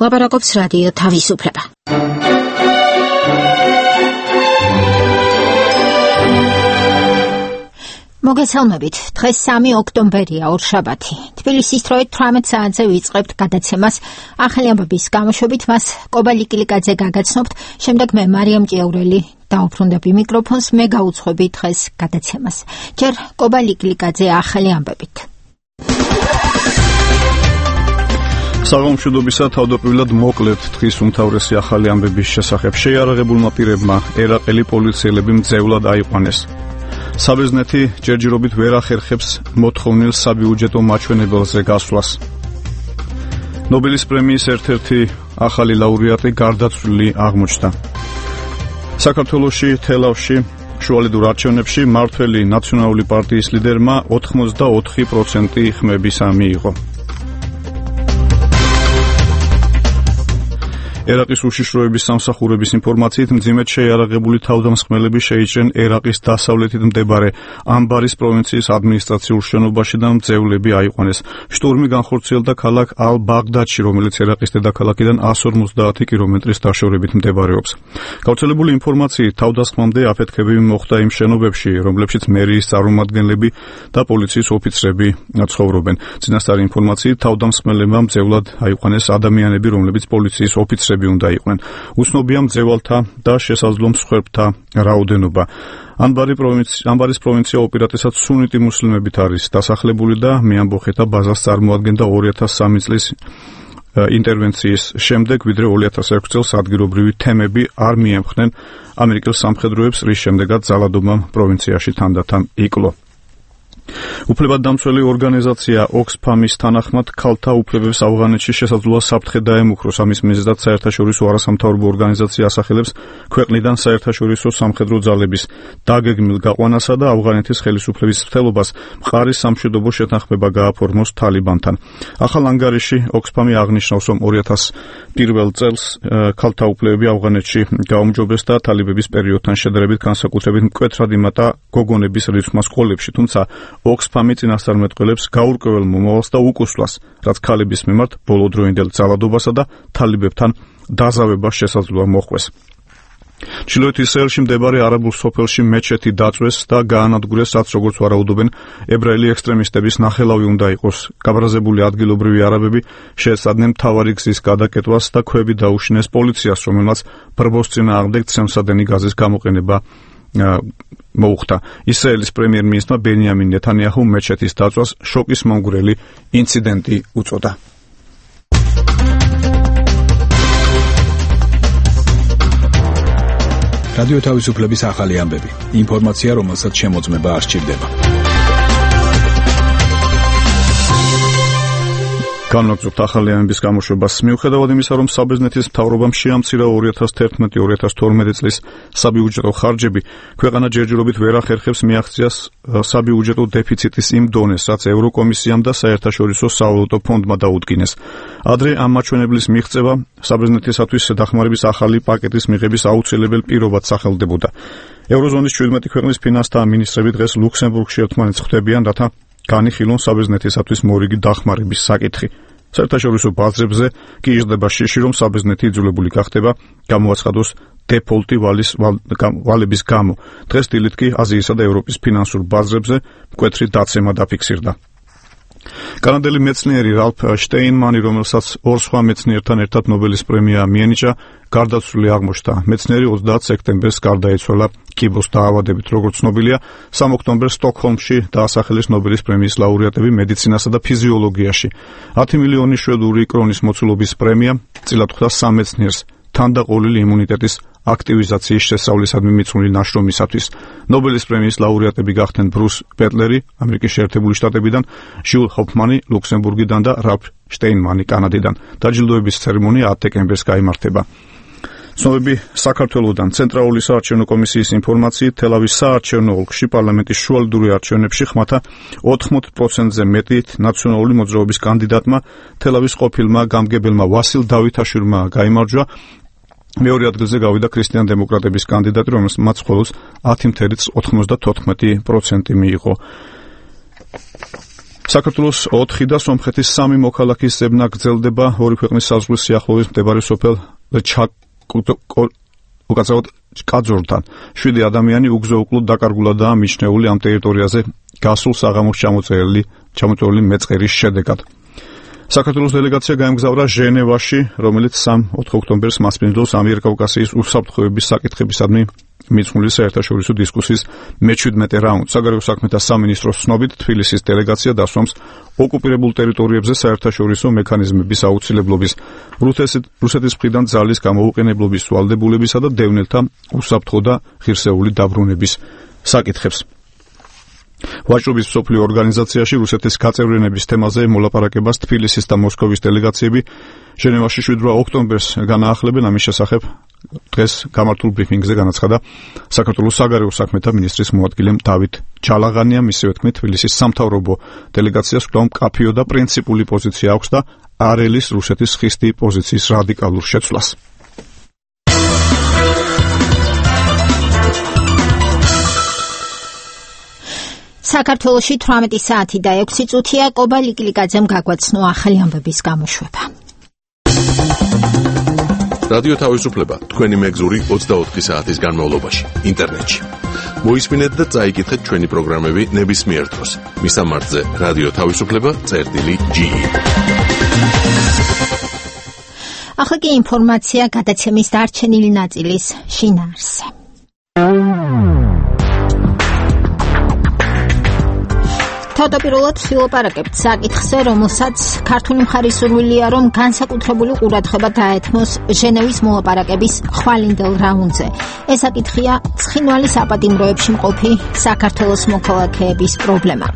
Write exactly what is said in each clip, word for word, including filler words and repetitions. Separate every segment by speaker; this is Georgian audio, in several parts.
Speaker 1: ლაპარაკობს რადიო თავისუფლება. მოგესალმებით, დღეს სამი ოქტომბერია, ორშაბათი. თბილისის დროით თვრამეტ საათზე ვიწყებთ გადაცემას. ახალი ამბების გამოშვებით მას კობა ლიკილიკაძე გაგაცნობთ, შემდეგ მე მარიამ ჭიაურელი დაუბრუნდები მიკროფონს, მე გაუძღვები დღეს გადაცემას. ჯერ კობა ლიკილიკაძე ახალი ამბებით.
Speaker 2: საგამშვიდობისა თავდაპირველად მოკლედ დღის უმთავრესი ახალი ამბების შესახებ. შეიარაღებულმა პირებმა ერაყელი პოლიციელები მძევლად აიყვანეს. საბერძნეთი ჯერჯერობით ვერ ახერხებს მოთხოვნილ საბიუჯეტო მაჩვენებელზე გასვლას. ნობელის პრემიის ერთ-ერთი ახალი ლაურეატი გარდაცვლილი აღმოჩნდა. საქართველოში თელავში შუალედურ არჩევნებში მართველი ნაციონალური პარტიის ლიდერმა ოთხმოცდაოთხი პროცენტი ხმებისა მიიღო. ერაყის უშიშროების სამსახურების ინფორმაციით მძიმედ შეიარაღებული თავდამსხმელები შეიჭრნენ ერაყის დასავლეთით მდებარე ამბარის პროვინციის ადმინისტრაციულ შენობაში და მძევლები აიყვანეს. შტურმი განხორციელდა ქალაქ ალ-ბაღდადში, რომელიც ერაყის დედაქალაქიდან εκατს ორმოცდაათი კილომეტრის დაშორებით მდებარეობს. გავრცელებული ინფორმაციით თავდასხმამდე აფეთქებები მოხდა იმ შენობებში, რომლებშიც მერიის წარმომადგენლები და პოლიციის ოფიცრები ცხოვრობენ. წინასწარი ინფორმაციით თავდამსხმელებმა მძევლად აიყვანეს ადამიანები, რომლებიც პოლიციის ოფიცრები უნდა იყვნენ. უცნობია მძევალთა და შესაძლო მსხვერპლთა რაოდენობა. ამბარის პროვინცია უპირატესად სუნიტი მუსლიმებით არის დასახლებული და მეამბოხეთა ბაზას წარმოადგენდა ორი ათას სამი წლის ინტერვენციის შემდეგ, ვიდრე ორი ათას ექვსი წელს ადგილობრივი თემები არ მიემხნენ ამერიკელ სამხედროებს, რის შემდეგაც ძალადობამ პროვინციაში თანდათან იკლო. უფლებადდამცველი ორგანიზაცია ოქსფამის თანახმად ქალთა უფლებებს ავღანეთში შესაძლოა საფრთხე დაემუქროს. ამის მიზეზად საერთაშორისო არასამთავრობო ორგანიზაცია ასახელებს ქვეყნიდან საერთაშორისო სამხედრო ძალების დაგეგმილ გაყვანასა და ავღანეთის ხელისუფლების მცდელობას მყარი სამშვიდობო შეთანხმება გააფორმოს თალიბანთან. ახალ ანგარიში ოქსფამი აღნიშნავს, რომ ორი ათას პირველ წელს ქალთა უფლებები ავღანეთში გაუმჯობეს და თალიბების პერიოდთან შედარებით განსაკუთრებით მკვეთრად იმატა გოგონების რიცხვმა სკოლებში, თუმცა ოქსფამი წინასწარმეტყველებს გაურკვეველ მომავალს და უკუსლას, რაც ქალების მიმართ ბოლოდროინდელ ძალადობასა და თალიბებთან დაზავებას შესაძლოა მოჰყვეს. ჩრდილოეთ ისრაელში მდებარე არაბულ სოფელში მეჩეთი დაწვეს და გაანადგურეს, რაც როგორც ვარაუდობენ ებრაელი ექსტრემისტების ნახელავი უნდა იყოს. გაბრაზებული ადგილობრივი არაბები შეეცადნენ მთავარი გზის გადაკეტვას და ქვები დაუშინეს პოლიციას, რომელმაც ბრბოს წინააღმდეგ ცემსადენი გაზის გამოყენება მოუხდა. ისრაელის პრემიერ-მინისტრმა ბენიამინ ნეთანიაჰუ მეჩეთის დაწვას შოკის მომგვრელი ინციდენტი უწოდა.
Speaker 3: რადიო თავისუფლების ახალი ამბები. ინფორმაცია, რომელსაც შემოწმება არ სჭირდება.
Speaker 2: განვაგრძობთ ახალი ამბების გამოშვებას. მიუხედავად იმისა, რომ საბერძნეთის მთავრობამ შეამცირა ორი ათას თერთმეტი ორი ათას თორმეტი წლის საბიუჯეტო ხარჯები, ქვეყანა ჯერჯერობით ვერ ახერხებს მიაღწიას საბიუჯეტო დეფიციტის იმ დონეს, რაც ევროკომისიამ და საერთაშორისო სავალუტო ფონდმა დაუდგინეს. ადრე ამ მაჩვენებლის მიღწევა საბერძნეთისათვის დახმარების ახალი პაკეტის მიღების აუცილებელ პირობად სახელდებოდა. ევროზონის შვიდმეტი ქვეყნის ფინანსთა მინისტრები დღეს ლუქსემბურგში ერთმანეთს ხვდებიან, რათა განიხილონ საბერძნეთისათვის მორიგი დახმარების საკითხი. საერთაშორისო ბაზრებზე კი იზრდება შიში, რომ საბერძნეთი იძულებული გახდება გამოაცხადოს დეფოლტი ვალის ვალების გამო. დღეს დილით კი აზიისა და ევროპის ფინანსურ ბაზრებზე მკვეთრი დაცემა დაფიქსირდა. კანადელი მეცნიერი რალფ შტეინმანი, რომელსაც ორ სხვა მეცნიერთან ერთად ნობელის პრემია მიენიჭა, გარდაცვლილი აღმოჩნდა. მეცნიერი ოცდაათ სექტემბერს გარდაიცვალა კიბოს დაავადებით. როგორც ცნობილია, სამი ოქტომბერს სტოკჰოლმში დაასახელეს ნობელის პრემიის ლაურეატები მედიცინასა და ფიზიოლოგიაში. ათი მილიონი შვედური კრონის მოცულობის პრემია წილად ხვდა სამ მეცნიერს თანდაყოლილი იმუნიტეტის აქტივიზაციის შესწავლისადმი მიძღვნილი ნაშრომისათვის. ნობელის პრემიის ლაურეატები გახდნენ ბრუს პეტლერი ამერიკის შეერთებული შტატებიდან, ჟიულ ჰოფმანი ლუქსემბურგიდან და რალფ შტეინმანი კანადიდან. დაჯილდოების ცერემონია ათ დეკემბერს გაიმართება. ცნობები საქართველოსთან. ცენტრალური საარჩევნო კომისიის ინფორმაციით, თელავის საარჩევნო ოლქში პარლამენტის შუალედური არჩევნებში ხმათა ოთხმოცდაოთხ პროცენტზე მეტი ნაციონალური მოძრაობის კანდიდატმა, თელავის ყოფილმა გამგებელმა ვასილ დავითაშვილმა გაიმარჯვა. მეორე ადგილზე გავიდა ქრისტიან-დემოკრატების კანდიდატი, რომელმაც მხოლოდ ათი ოცდაოთხ პროცენტი მიიღო. საქართველოს ოთხი და სომხეთის სამი მოქალაქის ზებნა გრძელდება ორი ქვეყნის საზღვრის სიახლოვეს მდებარე სოფელ უკაცრავად კაძორთან. შვიდი ადამიანი უგზო-უკლოდ დაკარგულადაა მიჩნეული ამ ტერიტორიაზე გასულ საღამოს ჩამოწერილი ჩამოწერილი მეწყერის შედეგად. საქართველოს დელეგაცია გაემგზავრა ჟენევაში, რომელიც სამი-ოთხი ოქტომბერს მასპინძლობს ამიერკავკასიის უსაფრთხოების საკითხებისადმი მიძღვნილი საერთაშორისო დისკუსიის მეჩვიდმეტე რაუნდს. საგარეო საქმეთა სამინისტროს ცნობით, თბილისის დელეგაცია დასვამს ოკუპირებულ ტერიტორიებზე საერთაშორისო მექანიზმების აუცილებლობის, რუსეთის მხრიდან ძალის გამოუყენებლობის ვალდებულებისა და დევნილთა უსაფრთხო და ღირსეული დაბრუნების საკითხებს. ვაჭრობის მსოფლიო ორგანიზაციაში რუსეთის გაწევრიანების თემაზე მოლაპარაკებას თბილისის და მოსკოვის დელეგაციები ჟენევაში შვიდ ოქტომბერს განაახლებენ. ამის შესახებ დღეს გამართულ ბრიფინგზე განაცხადა საქართველოს საგარეო საქმეთა მინისტრის მოადგილემ დავით ჯალაღანიამ. მისივე თქმით, თბილისის სამთავრობო დელეგაციას კვლავ მკაფიო და პრინციპული პოზიცია აქვს და არ ელის რუსეთის ხისტი პოზიციის რადიკალურ შეცვლას.
Speaker 1: საქართველოში თვრამეტი საათი და ექვსი წუთია. კობა ლიკილიკაძემ გაგვაცნო ახალი ამბების გამოშვება.
Speaker 4: რადიო თავისუფლება თქვენი მეგზური ოცდაოთხი საათის განმავლობაში ინტერნეტში. მოისმინეთ და წაიკითხეთ ჩვენი პროგრამები ნებისმიერ დროს. მისამართზე რადიო თავისუფლება წერტილი ჯი.
Speaker 1: ახლა კი ინფორმაცია გადაცემის დარჩენილი ნაწილის შინაარსზე. თავდაპირველად ვილაპარაკებთ საკითხზე, რომელსაც ქართული მხარის სურვილია, რომ განსაკუთრებული ყურადღება დაეთმოს ჟენევის მოლაპარაკების ხვალინდელ რაუნდზე. ეს საკითხია ცხინვალის აპატიმროებში მყოფი საქართველოს მოქალაქეების პრობლემა.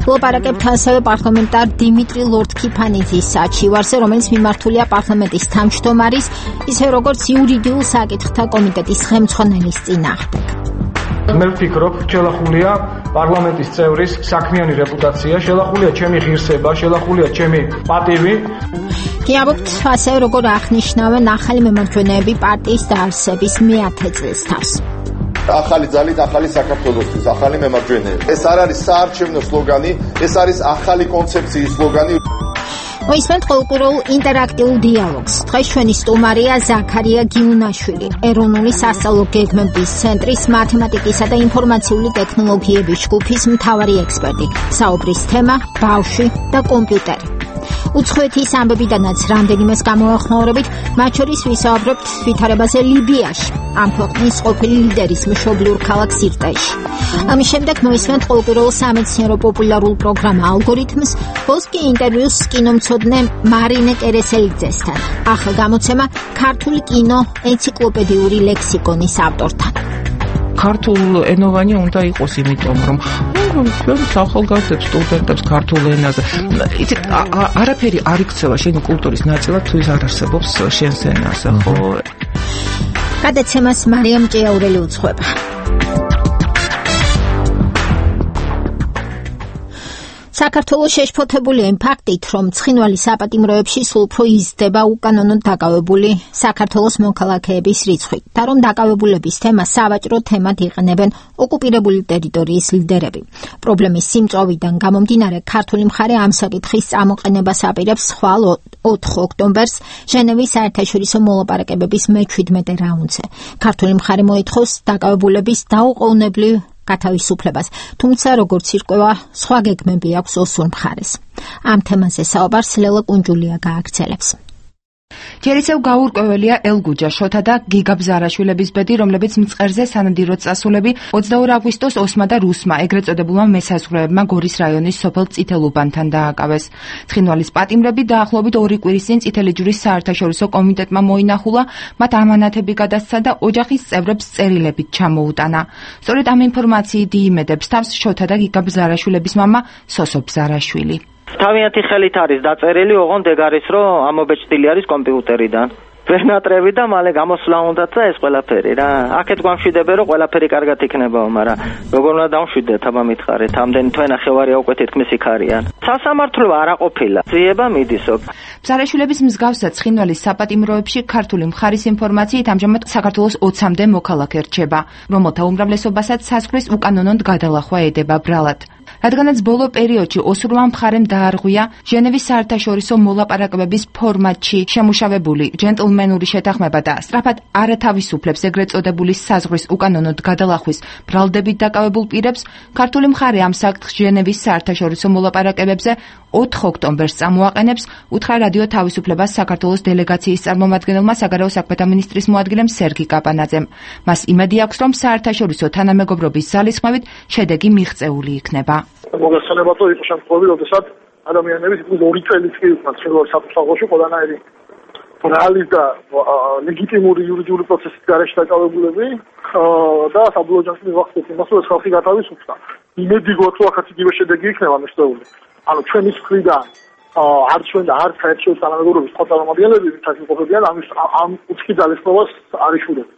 Speaker 1: ვილაპარაკებთ ასევე პარლამენტარ დიმიტრი ლორთქიფანიძის საჩივარზე, რომელიც მიმართულია პარლამენტის თავმჯდომარის, ისე როგორც იურიდიულ საკითხთა კომიტეტის ხელმძღვანელის წინააღმდეგ.
Speaker 5: მე ვფიქრობ, შელახულია პარლამენტის წევრის საქმიანი რეპუტაცია, შელახულია ჩემი ღირსება, შელახულია ჩემი პატივი.
Speaker 1: გიაბობთ ასევე როგორ აღნიშნავენ ახალი მემარჯვენეები პარტიის დაარსების მეათე წლის თავს.
Speaker 6: ახალი ძალით ახალი საქართველოსთვის, ახალი მემარჯვენეები. ეს არ არის საარჩევნო სლოგანი, ეს არის ახალი კონცეფციის სლოგანი.
Speaker 1: მოისმენთ ყოველკვირეულ ინტერაქტიულ დიალოგს. დღეს ჩვენი სტუმარია ზაქარია გიუნაშვილი, ეროვნული სასწავლო გეგმების ცენტრის მათემატიკისა და ინფორმაციული ტექნოლოგიების ჯგუფის მთავარი ექსპერტი. საუბრის თემა ბავშვი და კომპიუტერი. უცხოეთის ამბებიდანაც რამდენიმეს გამოახმაურებით, მათ შორის ვისაუბრებთ ვითარებაზე ლიბიაში, ამ ქვეყნის ყოფილი ლიდერის მშობლიურ ქალაქ სირტეში. ამის შემდეგ მოისმენთ ყოველკვირეულ სამეცნიერო პოპულარულ პროგრამა ალგორითმს, ბოლოს კი ინტერვიუს კინომცოდნე მარინე კერესელიძესთან. ახალ გამოცემა ქართული კინო ენციკლოპედიური ლექსიკონის ავტორთან.
Speaker 7: ქართულ ენოვანი უნდა იყოს, იმიტომ რომ ჩვენს ახალგაზრდებს, სტუდენტებს ქართულ ენაზე იცით, არაფერი არ იქცევა შენი კულტურის ნაწილად თუ ის არ არსებობს შენს ენაზე, ხო?
Speaker 1: გადაცემას მარიამ ჭიაურელი უძღვება. საქართველოს შეშფოთებულია იმ ფაქტით, რომ ცხინვალის საპატიმროებში სულ უფრო იზრდება უკანონოდ დაკავებული საქართველოს მოქალაქეების რიცხვი და რომ დაკავებულების თემას სავაჭრო თემად იყენებენ ოკუპირებული ტერიტორიის ლიდერები. პრობლემის სიმწოვიდან გამომდინარე, ქართული მხარე ამ საკითხის წამოყენებას აპირებს ხვალ ოთხ ოქტომბერს ჟენევის საერთაშორისო მოლაპარაკებების მეჩვიდმეტე რაუნდზე. ქართული მხარე მოითხოვს დაკავებულების დაუყოვნებლივ გათავისუფლებას, თუმცა როგორც ირკვევა, სხვა გეგმები აქვს ოსურ მხარეს. ამ თემაზე საუბარს ლელა კუნჯულია გააგრძელებს.
Speaker 8: ჯერ ისევ გაურკვეველია ელგუჯა შოთა და გიგა ბზარაშვილების ბედი, რომლებიც მწყერზე სანადიროდ წასულები ოცდაორი აგვისტოს ოსმა და რუსმა ეგრეთ წოდებულმა მესაზღვრეებმა გორის რაიონის სოფელ წითელუბანთან დააკავეს. ცხინვალის პატიმრები დაახლოებით ორი კვირის წინ წითელი ჯვრის საერთაშორისო კომიტეტმა მოინახულა, მათ ამანათები გადასცა და ოჯახის წევრებს წერილებით ჩამოუტანა. სწორედ ამ ინფორმაციით იიმედებს თავს შოთა და გიგა ბზარაშვილების მამა სოსო ბზარაშვილი.
Speaker 9: თავიანთი ხელით არის დაწერილი, ოღონდ ეგ არის, რომ ამობეჭდილი არის კომპიუტერიდან. ვენატრები და მალე გამოსვლა უნდათ და ეს ყველაფერი რა. აქეთ გვამშვიდებენ, რომ ყველაფერი კარგად იქნებაო, მაგრამ როგორ უნდა დავშვიდეთ, აბა მითხარით, ამდენი თვენახევარი უკვე თითქმის იქ არიან. სასამართლო არ აყოფილა. ძიება მიდისო.
Speaker 8: ბზარაშვილების მსგავსად ცხინვალის საპატიმროებში ქართული მხარის ინფორმაციით ამჟამად საქართველოს ოცამდე მოქალაქე რჩება, რომელთა უმრავლესობასაც საზღვრის უკანონოდ გადალახვა ედება ბრალად. რადგანაც ბოლო პერიოდში ოსურმა მხარემ დაარღვია ჟენევის საერთაშორისო მოლაპარაკებების ფორმატში შემუშავებული ჯენტლმენური შეთანხმება და სწრაფად არათავისუფლებს ეგრეთ წოდებული საზღვრის უკანონოდ გადალახვის ბრალდებით დაკავებულ პირებს, ქართული მხარე ამ საკითხს ჟენევის საერთაშორისო მოლაპარაკებებზე ოთხ ოქტომბერს წამოაყენებს, უთხრა რადიო თავისუფლებას საქართველოს დელეგაციის წარმომადგენელმა საგარეო საქმეთა მინისტრის მოადგილემ სერგი კაპანაძემ. მას იმედი აქვს, რომ საერთაშორისო თანამეგობრობის ძალისხმევით შედეგი მიღწეული იქნება.
Speaker 10: მოგესალმებათ, იყო შემთხვევები, როდესაც ადამიანები თითქმის ორი წელიც კი იქნა ცხინვალის საფუძველში ყველანაირი ბრალის და ლეგიტიმური იურიდიული პროცესის გარეშე დაკავებულები და საბოლოო ჯამში მივახცეთ იმას, რომ ეს ხალხი გათავისუფლდა. იმედი გვაქვს, რომ ახაც იგივე შედეგი იქნება მიღწეული. ანუ ჩვენი მხრიდან არც ჩვენ და არც საერთაშორისო თანამეგობრობის სხვა წარმომადგენლები ვინც იმყოფებიან ამის ამ უცხი ძალისხმევას არ იშურებთ.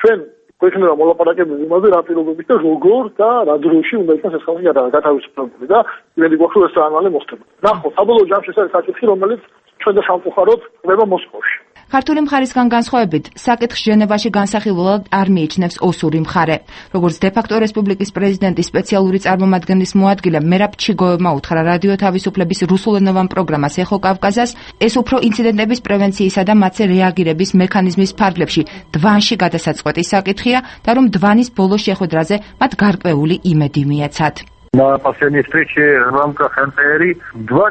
Speaker 10: ჩვენ გვექნება მოლაპარაკებები იმაზე, რა პირობებით და როგორ და რა დროში უნდა იყოს ეს ხალხი გათავისუფლებული და იმედი გვაქვს, რომ ეს ამალე მოხდება. ნახოთ, საბოლოო ჯამში ეს არის საკითხი, რომელიც ჩვენ და სამწუხაროდ ხდება მოსკოვში.
Speaker 8: ქართული მხარისგან განსხვავებით, საკითხს ჟენევაში განსახილველად არ მიიჩნევს ოსური მხარე. როგორც დე-ფაქტო რესპუბლიკის პრეზიდენტის სპეციალური წარმომადგენლის მოადგილე მერაბ ჩიგოევმა უთხრა რადიო თავისუფლების რუსულენოვან პროგრამას ეხო კავკაზას, ეს უფრო ინციდენტების პრევენციისა და მათზე რეაგირების მექანიზმის ფარგლებში დვანში გადასაწყვეტის საკითხია და რომ დვანის ბოლო შეხვედრაზე მათ გარკვეული იმედი მიეცათ.
Speaker 10: На последней встрече в рамках эн пэ эр два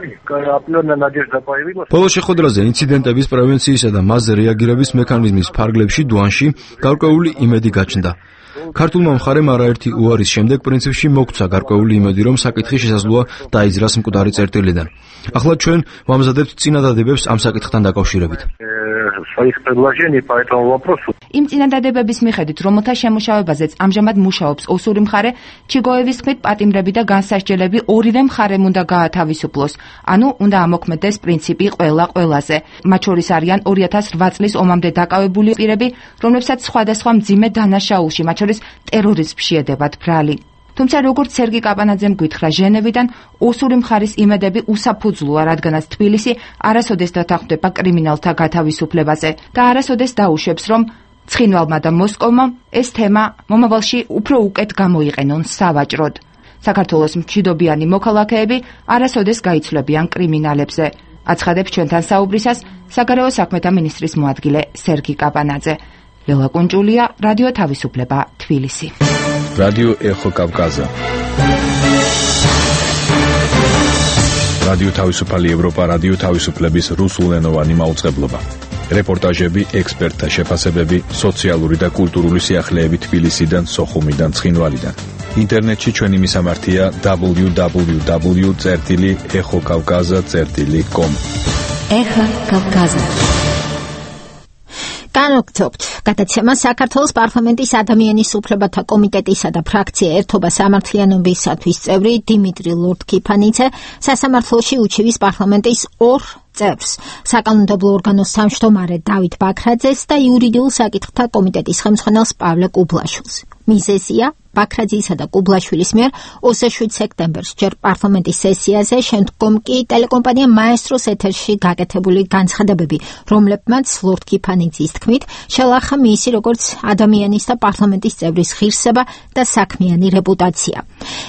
Speaker 10: определенная надежда появилась.
Speaker 11: ბოლო შეხვედრაზე ინციდენტების პრევენციისა და მასზე რეაგირების მექანიზმის ფარგლებში დვანში გარკვეული იმედი გაჩნდა. ქართულმა მხარემ არაერთი უარის შემდეგ პრინციპში მოგვცა გარკვეული იმედი, რომ საკითხი შესაძლოა დაიძრას მკვდარი წერტილიდან. ახლა ჩვენ ვამზადებთ წინადადებებს ამ საკითხთან დაკავშირებით.
Speaker 10: своих предложений по этому вопросу.
Speaker 8: იმ წინადადებების მიხედვით, რომელთა შემუშავებაზეც ამჟამად მუშაობს ოსური მხარე, ჩიგოევის თქმით, პატიმრები და განსასჯელები ორივე მხარემ უნდა გაათავისუფლოს, ანუ უნდა ამოქმედდეს პრინციპი ყველა ყველაზე. მათ შორის არიან ორი ათას რვა წლის ომამდე დაკავებული პირები, რომლებსაც სხვადასხვა მძიმე დანაშაულში, მათ შორის ტერორიზმში ედებათ ბრალი. თუმცა როგორც სერგი კაპანაძემ გითხრა ჟენევიდან, ოსური მხარის იმედები უსაფუძვლოა, რადგანაც თბილისი არასოდეს დათანხმდება კრიმინალთა გათავისუფლებაზე და არასოდეს დაუშვებს, რომ ცხინვალმა და მოსკოვმა ეს თემა მომავალში უფრო უკეთ გამოიყენონ სავაჭროდ. საქართველოს მშვიდობიანი მოქალაქეები არასოდეს გაიცვლებიან კრიმინალებზე. აცხადებს ჩვენთან საუბრისას საგარეო საქმეთა მინისტრის მოადგილე სერგი კაპანაძე. ლელა კუნჭულია, რადიო თავისუფლება, თბილისი.
Speaker 3: რადიო ეხო კავკაზა. რადიო თავისუფალი ევროპა, რადიო თავისუფლების რუსულენოვანი მაუწყებლობა. რეპორტაჟები, ექსპერტთა შეფასებები, სოციალური და კულტურული სიახლეები თბილისიდან, სოხუმიდან, ცხინვალიდან. ინტერნეტში ჩვენი მისამართია დაბლიუ დაბლიუ დაბლიუ წერტილი ეხო კავკაზა წერტილი კომ.
Speaker 1: ეხო კავკაზა. განვაგრძობთ გადაცემა საქართველოს პარლამენტის ადამიანის უფლებათა კომიტეტისა და ფრაქცია ერთობა სამართლიანობისათვის წევრი დიმიტრი ლორდ-კიფანიძე სასამართლოში უჩივის პარლამენტის ორ წევრს, საკანონმდებლო ორგანოს თავმჯდომარე დავით ბაქრაძეს და იურიდიულ საკითხთა კომიტეტის ხელმძღვანელს პავლე კუბლაშვილს. მიზეზია ბაქრაძისა და კუბლაშვილის მიერ ოცდაშვიდ სექტემბერს ჯერ პარლამენტის სესიაზე, შემდგომ კი ტელეკომპანია მაესტროს ეთერში გაკეთებული განცხადებები, რომლებმაც ლორდ-კიფანიძის თქმით შელახა მისი როგორც ადამიანის და პარლამენტის წევრის ღირსება და საქმიანი რეპუტაცია.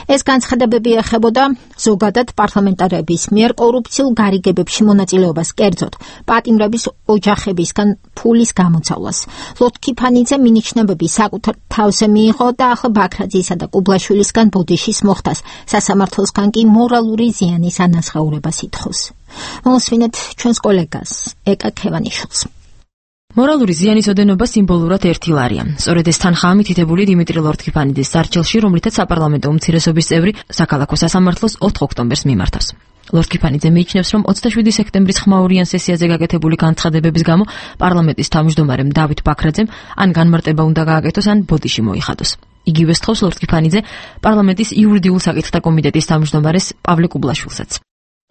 Speaker 1: ეს განცხადებები ეხებოდა ზოგადად პარლამენტარების მიერ კორუფციულ გარიგებებში მონაწილეობას, კერძოდ პატიმრების ოჯახებისგან ფულის გამოძავლას. ლორდ-კიფანიძე მინიშნებები საკუთარ თავზე მიიღო და ახლა ბაქრაძისა და კუბლაშვილისგან ბოდიშის მოხდას, სასამართლოსგან კი მორალური ზიანის ანაზღაურებას ითხოვს. მოსვინეთ ჩვენს კოლეგას ეკა ქევანიშვილს.
Speaker 12: მორალური ზიანის ოდენობა სიმბოლურად ერთი ლარია. სწორედ ეს თანხაა მითითებული დიმიტრი ლორდ-კიფანიძის სარჩელში, რომლითაც საპარლამენტო უმცირესობის წევრი საქალაქო სასამართლოს ოთხ ოქტომბერს მიმართავს. ლორდ-კიფანიძე მიიჩნევს, რომ ოცდაშვიდი სექტემბრის ხმაურიან სესიაზე გაკეთებული განცხადებების გამო პარლამენტის თავმჯდომარემ დავით ბაქრაძემ ან განმარტება უნდა გააკეთოს, ან ბოდიში მოიხადოს. იგივე სთხოვს ლორდ-კიფანიძე პარლამენტის იურიდიულ საკითხთა კომიტეტის თავმჯდომარეს პავლე კუბლაშვილსაც.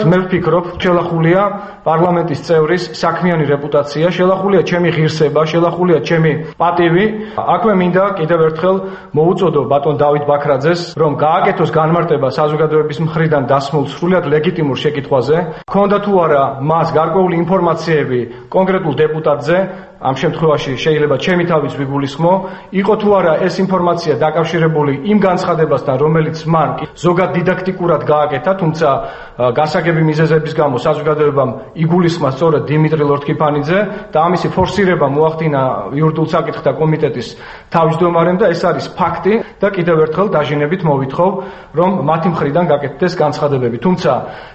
Speaker 5: მე ვფიქრობ, შელახულია პარლამენტის წევრის საქმიანი რეპუტაცია, შელახულია ჩემი ღირსება, შელახულია ჩემი პატივი. აქვე მინდა კიდევ ერთხელ მოუწოდო ბატონ დავით ბაქრაძეს, რომ გააკეთოს განმარტება საზოგადოების მხრიდან დასმულ სრულიად ლეგიტიმურ შეკითხვაზე. ქონდა თუ არა მას გარკვეული ინფორმაციები კონკრეტულ დეპუტატზე, ამ შემთხვევაში შეიძლება ჩემი თავის ვიგულისხმო, იყო თუ არა ეს ინფორმაცია დაკავშირებული იმ განცხადებასთან, რომელიც მან ზოგად დიდაქტიკურად გააკეთა, თუმცა გასაგები მიზეზების გამო საზოგადოებამ იგულისხმა სწორედ დიმიტრი ლორთქიფანიძე და ამისი ფორსირება მოახდინა იურიდიულ საკითხთა კომიტეტის თავმჯდომარემ და ეს არის ფაქტი და კიდევ ერთხელ დაჟინებით მოვითხოვ, რომ მათი მხრიდან გაკეთდეს განცხადებები. თუმცა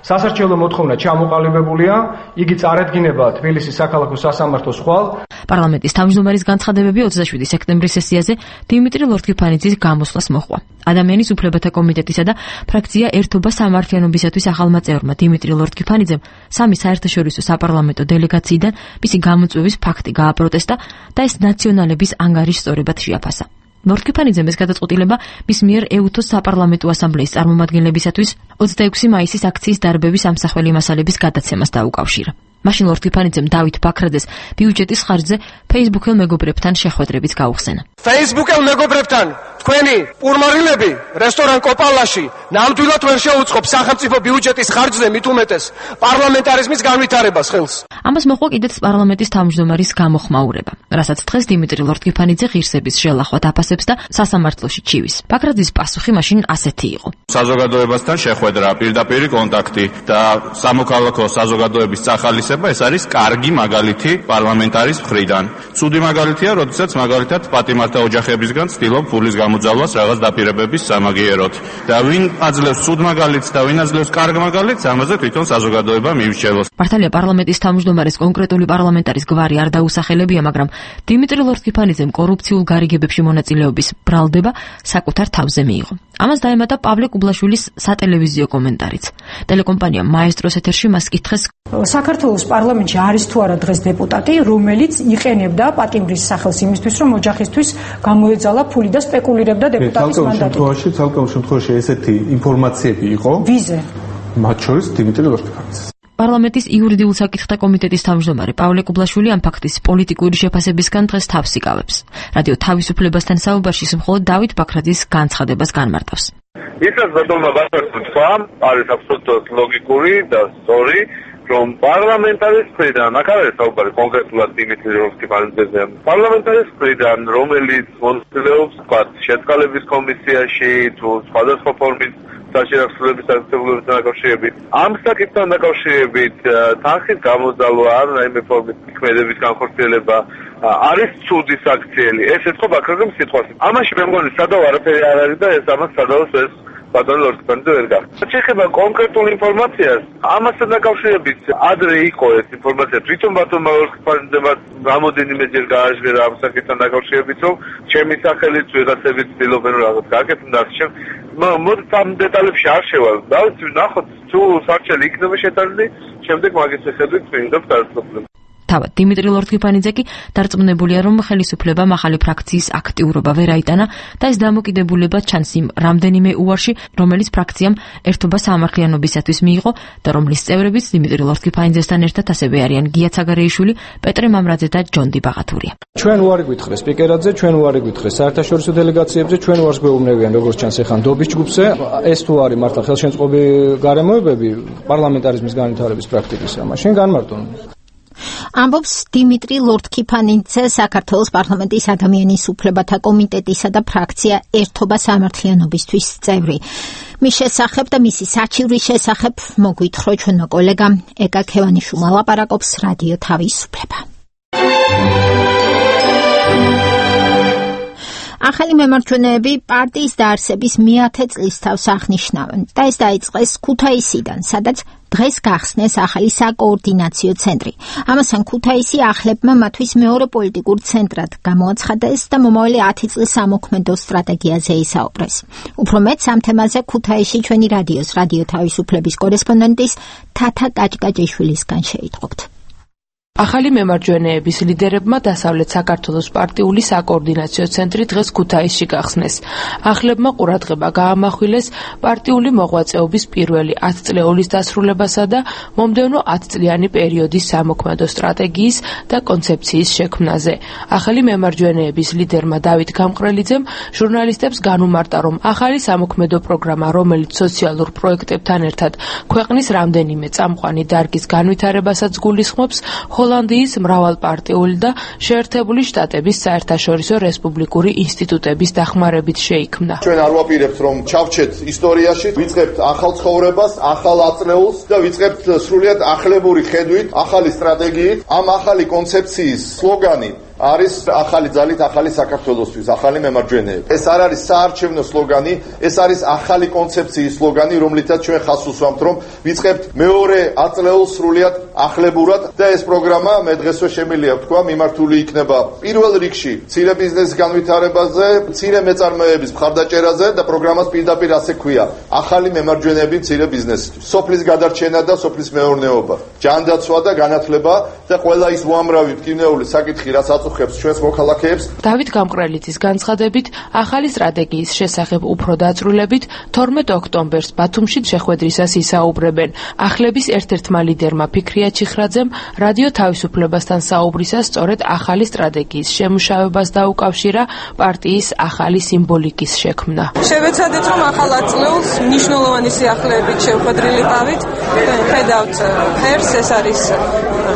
Speaker 5: სასარჩელო მოთხოვნა ჩამოყალიბებულია, იგი წარედგინება თბილისის საქალაქო სასამართლოს ხვალ.
Speaker 12: პარლამენტის თავმჯდომარის განცხადებები ოცდაშვიდი სექტემბრის სესიაზე დიმიტრი ლორთქიფანიძის გამოსვლას მოჰყვა. ადამიანის უფლებათა კომიტეტისა და ფრაქცია ერთობა სამართლიანობისათვის ახალმა წევრმა დიმიტრი ლორთქიფანიძემ სამი საერთაშორისო საპარლამენტო დელეგაციიდან მისი გამოწვევის ფაქტი გააპროტესტა და ეს ნაციონალების ანგარიშსწორებად შეაფასა. ლორთქიფანიძემ ეს გადაწყვეტილება მის მიერ ეუთოს საპარლამენტო ასამბლეის წარმომადგენლებისათვის ოცდაექვსი მაისის აქციის დარბების ამსახველი მასალების გადაცემას დაუკავშირა. მაშინ ლორთქიფანიძემ დავით ბაქრაძეს ბიუჯეტის ხარჯზე Facebook-ელ მეგობრებთან შეხვედრებიც გაუხსენა.
Speaker 13: Facebook-ელ მეგობრებთან თქვენი პურმარილები რესტორან კოპალაში ნამდვილად ვერ შეუწყობ სახელმწიფო ბიუჯეტის ხარჯზე მით უმეტეს პარლამენტარიზმის განვითარებას ხელს.
Speaker 12: ამას მოყვა კიდეც პარლამენტის თავმჯდომარის გამოხმაურება, რასაც დღეს დიმიტრი ლორთქიფანიძე ღირსების შელახვად აფასებს და სასამართლოში ჩივის. ბაქრაძის პასუხი მაშინ ასეთი იყო.
Speaker 14: საზოგადოებასთან შეხვედრა, პირდაპირი კონტაქტი და სამოქალაქო საზოგადოების წახალისება ეს არის კარგი მაგალითი პარლამენტარის მხრიდან. ცუდი მაგალითია, როდესაც მაგალითად პატიმართა ოჯახებისგან ცდილობ ფულის გამოძალვას რაღაც დაპირებების სამაგიეროდ. და ვინ აძლევს ცუდ მაგალითს და ვინ აძლევს კარგ მაგალითს, ამაზე თვითონ საზოგადოება მიირჩევოს.
Speaker 12: მართალია პარლამენტის თავმჯდომარის კონკრეტული პარლამენტარის გვარი არ დაუსახელებია, მაგრამ დიმიტრი ლორთქიფანიძემ კორუფციულ გარიგებებში მონაწილეობის ბრალდება საკუთარ თავზე მიიღო. ამას დაემატა პავლე კუბლაშვილის სატელევიზიო კომენტარიც. ტელეკომპანია მაესტროს ეთერში მას კითხეს:
Speaker 15: საქართველოს პარლამენტში არის თუ არა დღეს დეპუტატი, რომელიც იყენებდა პატიმრის სახელს იმისთვის, რომ ოჯახისთვის გამოეძალა ფული და სპეკულირებდა დეპუტატის მანდატით?
Speaker 16: შემთხვევაში, ცალკეულ შემთხვევაში ესეთი ინფორმაციები იყო.
Speaker 15: ვიზე?
Speaker 16: მათ შორის დიმიტრი ლორთქიფანიძე.
Speaker 12: პარლამენტის იურიდიულ საკითხთა კომიტეტის თავმჯდომარე პავლე კუბლაშვილი ამ ფაქტის პოლიტიკური შეფასებისგან დღეს თავს იკავებს. რადიო თავისუფლებასთან საუბარში მხოლოდ დავით ბაქრაძის განცხადებას განმარტავს.
Speaker 17: ისაც ბატონმა ბაქრაძემ თქვა, არის აბსოლუტურად ლოგიკური და სწორი, რომ პარლამენტარის მხრიდან, აქ არის საუბარი კონკრეტულად დიმიტრი ლორთქიფანიძეზე, პარლამენტარის მხრიდან, რომელიც მონაწილეობს შეწყალების კომისიაში თუ სხვადასხვა ფორმის საშინახვების აქტივობებთან დაკავშირებით, ამ საკითხთან დაკავშირებით თანხის გამოძალვა ან რაიმე ფორმის ქმედების განხორციელება არის ცუდი საქციელი. ეს ეთქვა ბაქრაძემ სიტყვას. ამაში მე მგონი სადავ არაფერი არ არის და ეს ამას სადავს ეს ბატონი ლორთქიფანიძე ვერ გახდა. შეხება კონკრეტულ ინფორმაციას, ამასთან დაკავშირებით ადრე იყო ეს ინფორმაცია. თვითონ ბატონმა ლორთქიფანიძემ რამოდენიმეჯერ გააჟღერა ამ საკითხთან დაკავშირებით, რომ ჩემი სახელით ვიღაცები ცდილობენ რომ რაღაც გააკეთონ და ამ მოდით ამ დეტალებში არ შევალ. დავით ნახოთ თუ სარჩელი იქნება შეტანილი, შემდეგ მაგის შეხედვით ვინდობს დარწმუნებული.
Speaker 12: თავად დიმიტრი ლორთქიფანიძე კი დარწმუნებულია, რომ ხელისუფლებამ ახალი ფრაქციის აქტიურობა ვერ აიტანა და ეს დამოკიდებულება ჩანს იმ რამდენიმე უარში, რომელიც ფრაქციამ ერთობა სამართლიანობისათვის მიიღო და რომლის წევრებიც დიმიტრი ლორთქიფანიძესთან ერთად ასევე არიან გია ცაგარეიშვილი, პეტრე მამრაძე და ჯონდი ბაღათურია.
Speaker 18: ჩვენ უარი გვითხრეს სპიკერადზე, ჩვენ უარი გვითხრეს საერთაშორისო დელეგაციებზე, ჩვენ უარს გვეუბნებიან როგორც ჩანს ეხან დობის ჯგუფზე. ეს თუ არის მართლა ხელშემწყობი გარემოებები პარლამენტარიზმის განვითარების პრაქტიკისა, მაშინ განმარტონ.
Speaker 1: ამბობს დიმიტრი ლორთქიფანიძე, საქართველოს პარლამენტის ადამიანის უფლებათა კომიტეტისა და ფრაქცია ერთობა სამართლიანობისთვის წევრი. მის შესახებ და მისი საჩივრის შესახებ მოგვითხრა ჩვენმა კოლეგამ ეკა ქევანიშვილმა ლაპარაკობს რადიო თავისუფლება. ახალი მემარჯვენეები პარტიის დაარსების მეათე წლისთავს აღნიშნავენ და ეს დაიწყეს ქუთაისიდან, სადაც დღეს გახსნეს ახალი საკოორდინაციო ცენტრი. ამასთან ქუთაისი ახლებმა მათთვის მეორე პოლიტიკურ ცენტრად გამოაცხადეს და მომავალი ათი წლის სამოქმედო სტრატეგიაზე ისაუბრეს. უფრო მეტ ამ თემაზე ქუთაისში ჩვენი რადიოს რადიო თავისუფლების კორესპონდენტის თათა კაჭკაჭიშვილისგან შეიტყობთ.
Speaker 7: ახალი მემარჯვენეების ლიდერებმა დასავლეთ საქართველოს პარტიული საკოორდინაციო ცენტრი დღეს ქუთაისში გახსნეს. ახლებმა ყურადღება გაამახვილეს პარტიული მოღვაწეობის პირველი ათწლეულის დასრულებასა და მომდევნო ათწლიანი პერიოდის სამოქმედო სტრატეგიის და კონცეფციის შექმნაზე. ახალი მემარჯვენეების ლიდერმა დავით გამყრელიძემ ჟურნალისტებს განუმარტა, რომ ახალი სამოქმედო პროგრამა, რომელიც სოციალურ პროექტებთან ერთად ქვეყნის რამდენიმე წამყვანი დარგის განვითარებასაც გულისხმობს, ჰოლანდიის მრავალპარტიული და შეერთებული შტატების საერთაშორისო რესპუბლიკური ინსტიტუტების დახმარებით შეიქმნა.
Speaker 6: ჩვენ არ ვაპირებთ, რომ ჩავჩეთ ისტორიაში, ვიწყებთ ახალ ცხოვრებას, ახალ აწლეულს და ვიწყებთ სრულიად ახლებური ხედვით, ახალი სტრატეგიით, ამ ახალი კონცეფციის სლოგანი არის ახალი ძალით ახალი საქართველოსთვის, ახალი მემარჯვენეები. ეს არ არის საარჩევნო სლოგანი, ეს არის ახალი კონცეფციის სლოგანი, რომლითაც ჩვენ ხაზს უსვამთ, რომ ვიწყებთ მეორე აწლეულს სრულიად ახლებურად და ეს პროგრამა მე დღესვე შემიძლია ვთქვა, მიმართული იქნება პირველ რიგში მცირე ბიზნესის განვითარებაზე, მცირე მეწარმეების მხარდაჭერაზე და პროგრამას პირდაპირ ასე ქვია: ახალი მემარჯვენეები მცირე ბიზნესისთვის. სოფლის გადარჩენა და სოფლის მეურნეობა, ჯანდაცვა და განათლება და ყველა ის უამრავი მტკივნეული საკითხი, რაც ჩვენს მოქალაქეებს.
Speaker 7: დავით გამყრელიძის განცხადებით, ახალი სტრატეგიის შესახებ უფრო დაწვრილებით თორმეტ ოქტომბერს ბათუმში შეხვედრისას ისაუბრებენ. ახლების ერთ-ერთმა ლიდერმა ფიქრია ჩიხრაძემ რადიო თავისუფლებასთან საუბრისას სწორედ ახალი სტრატეგიის შემუშავებას დაუკავშირა პარტიის ახალი სიმბოლიკის შექმნა.
Speaker 19: შევეცადეთ, რომ ახალ აწლეულს მნიშვნელოვანი სიახლეებით შევხვედრილიყავით. ხედავთ ფერს, ეს არის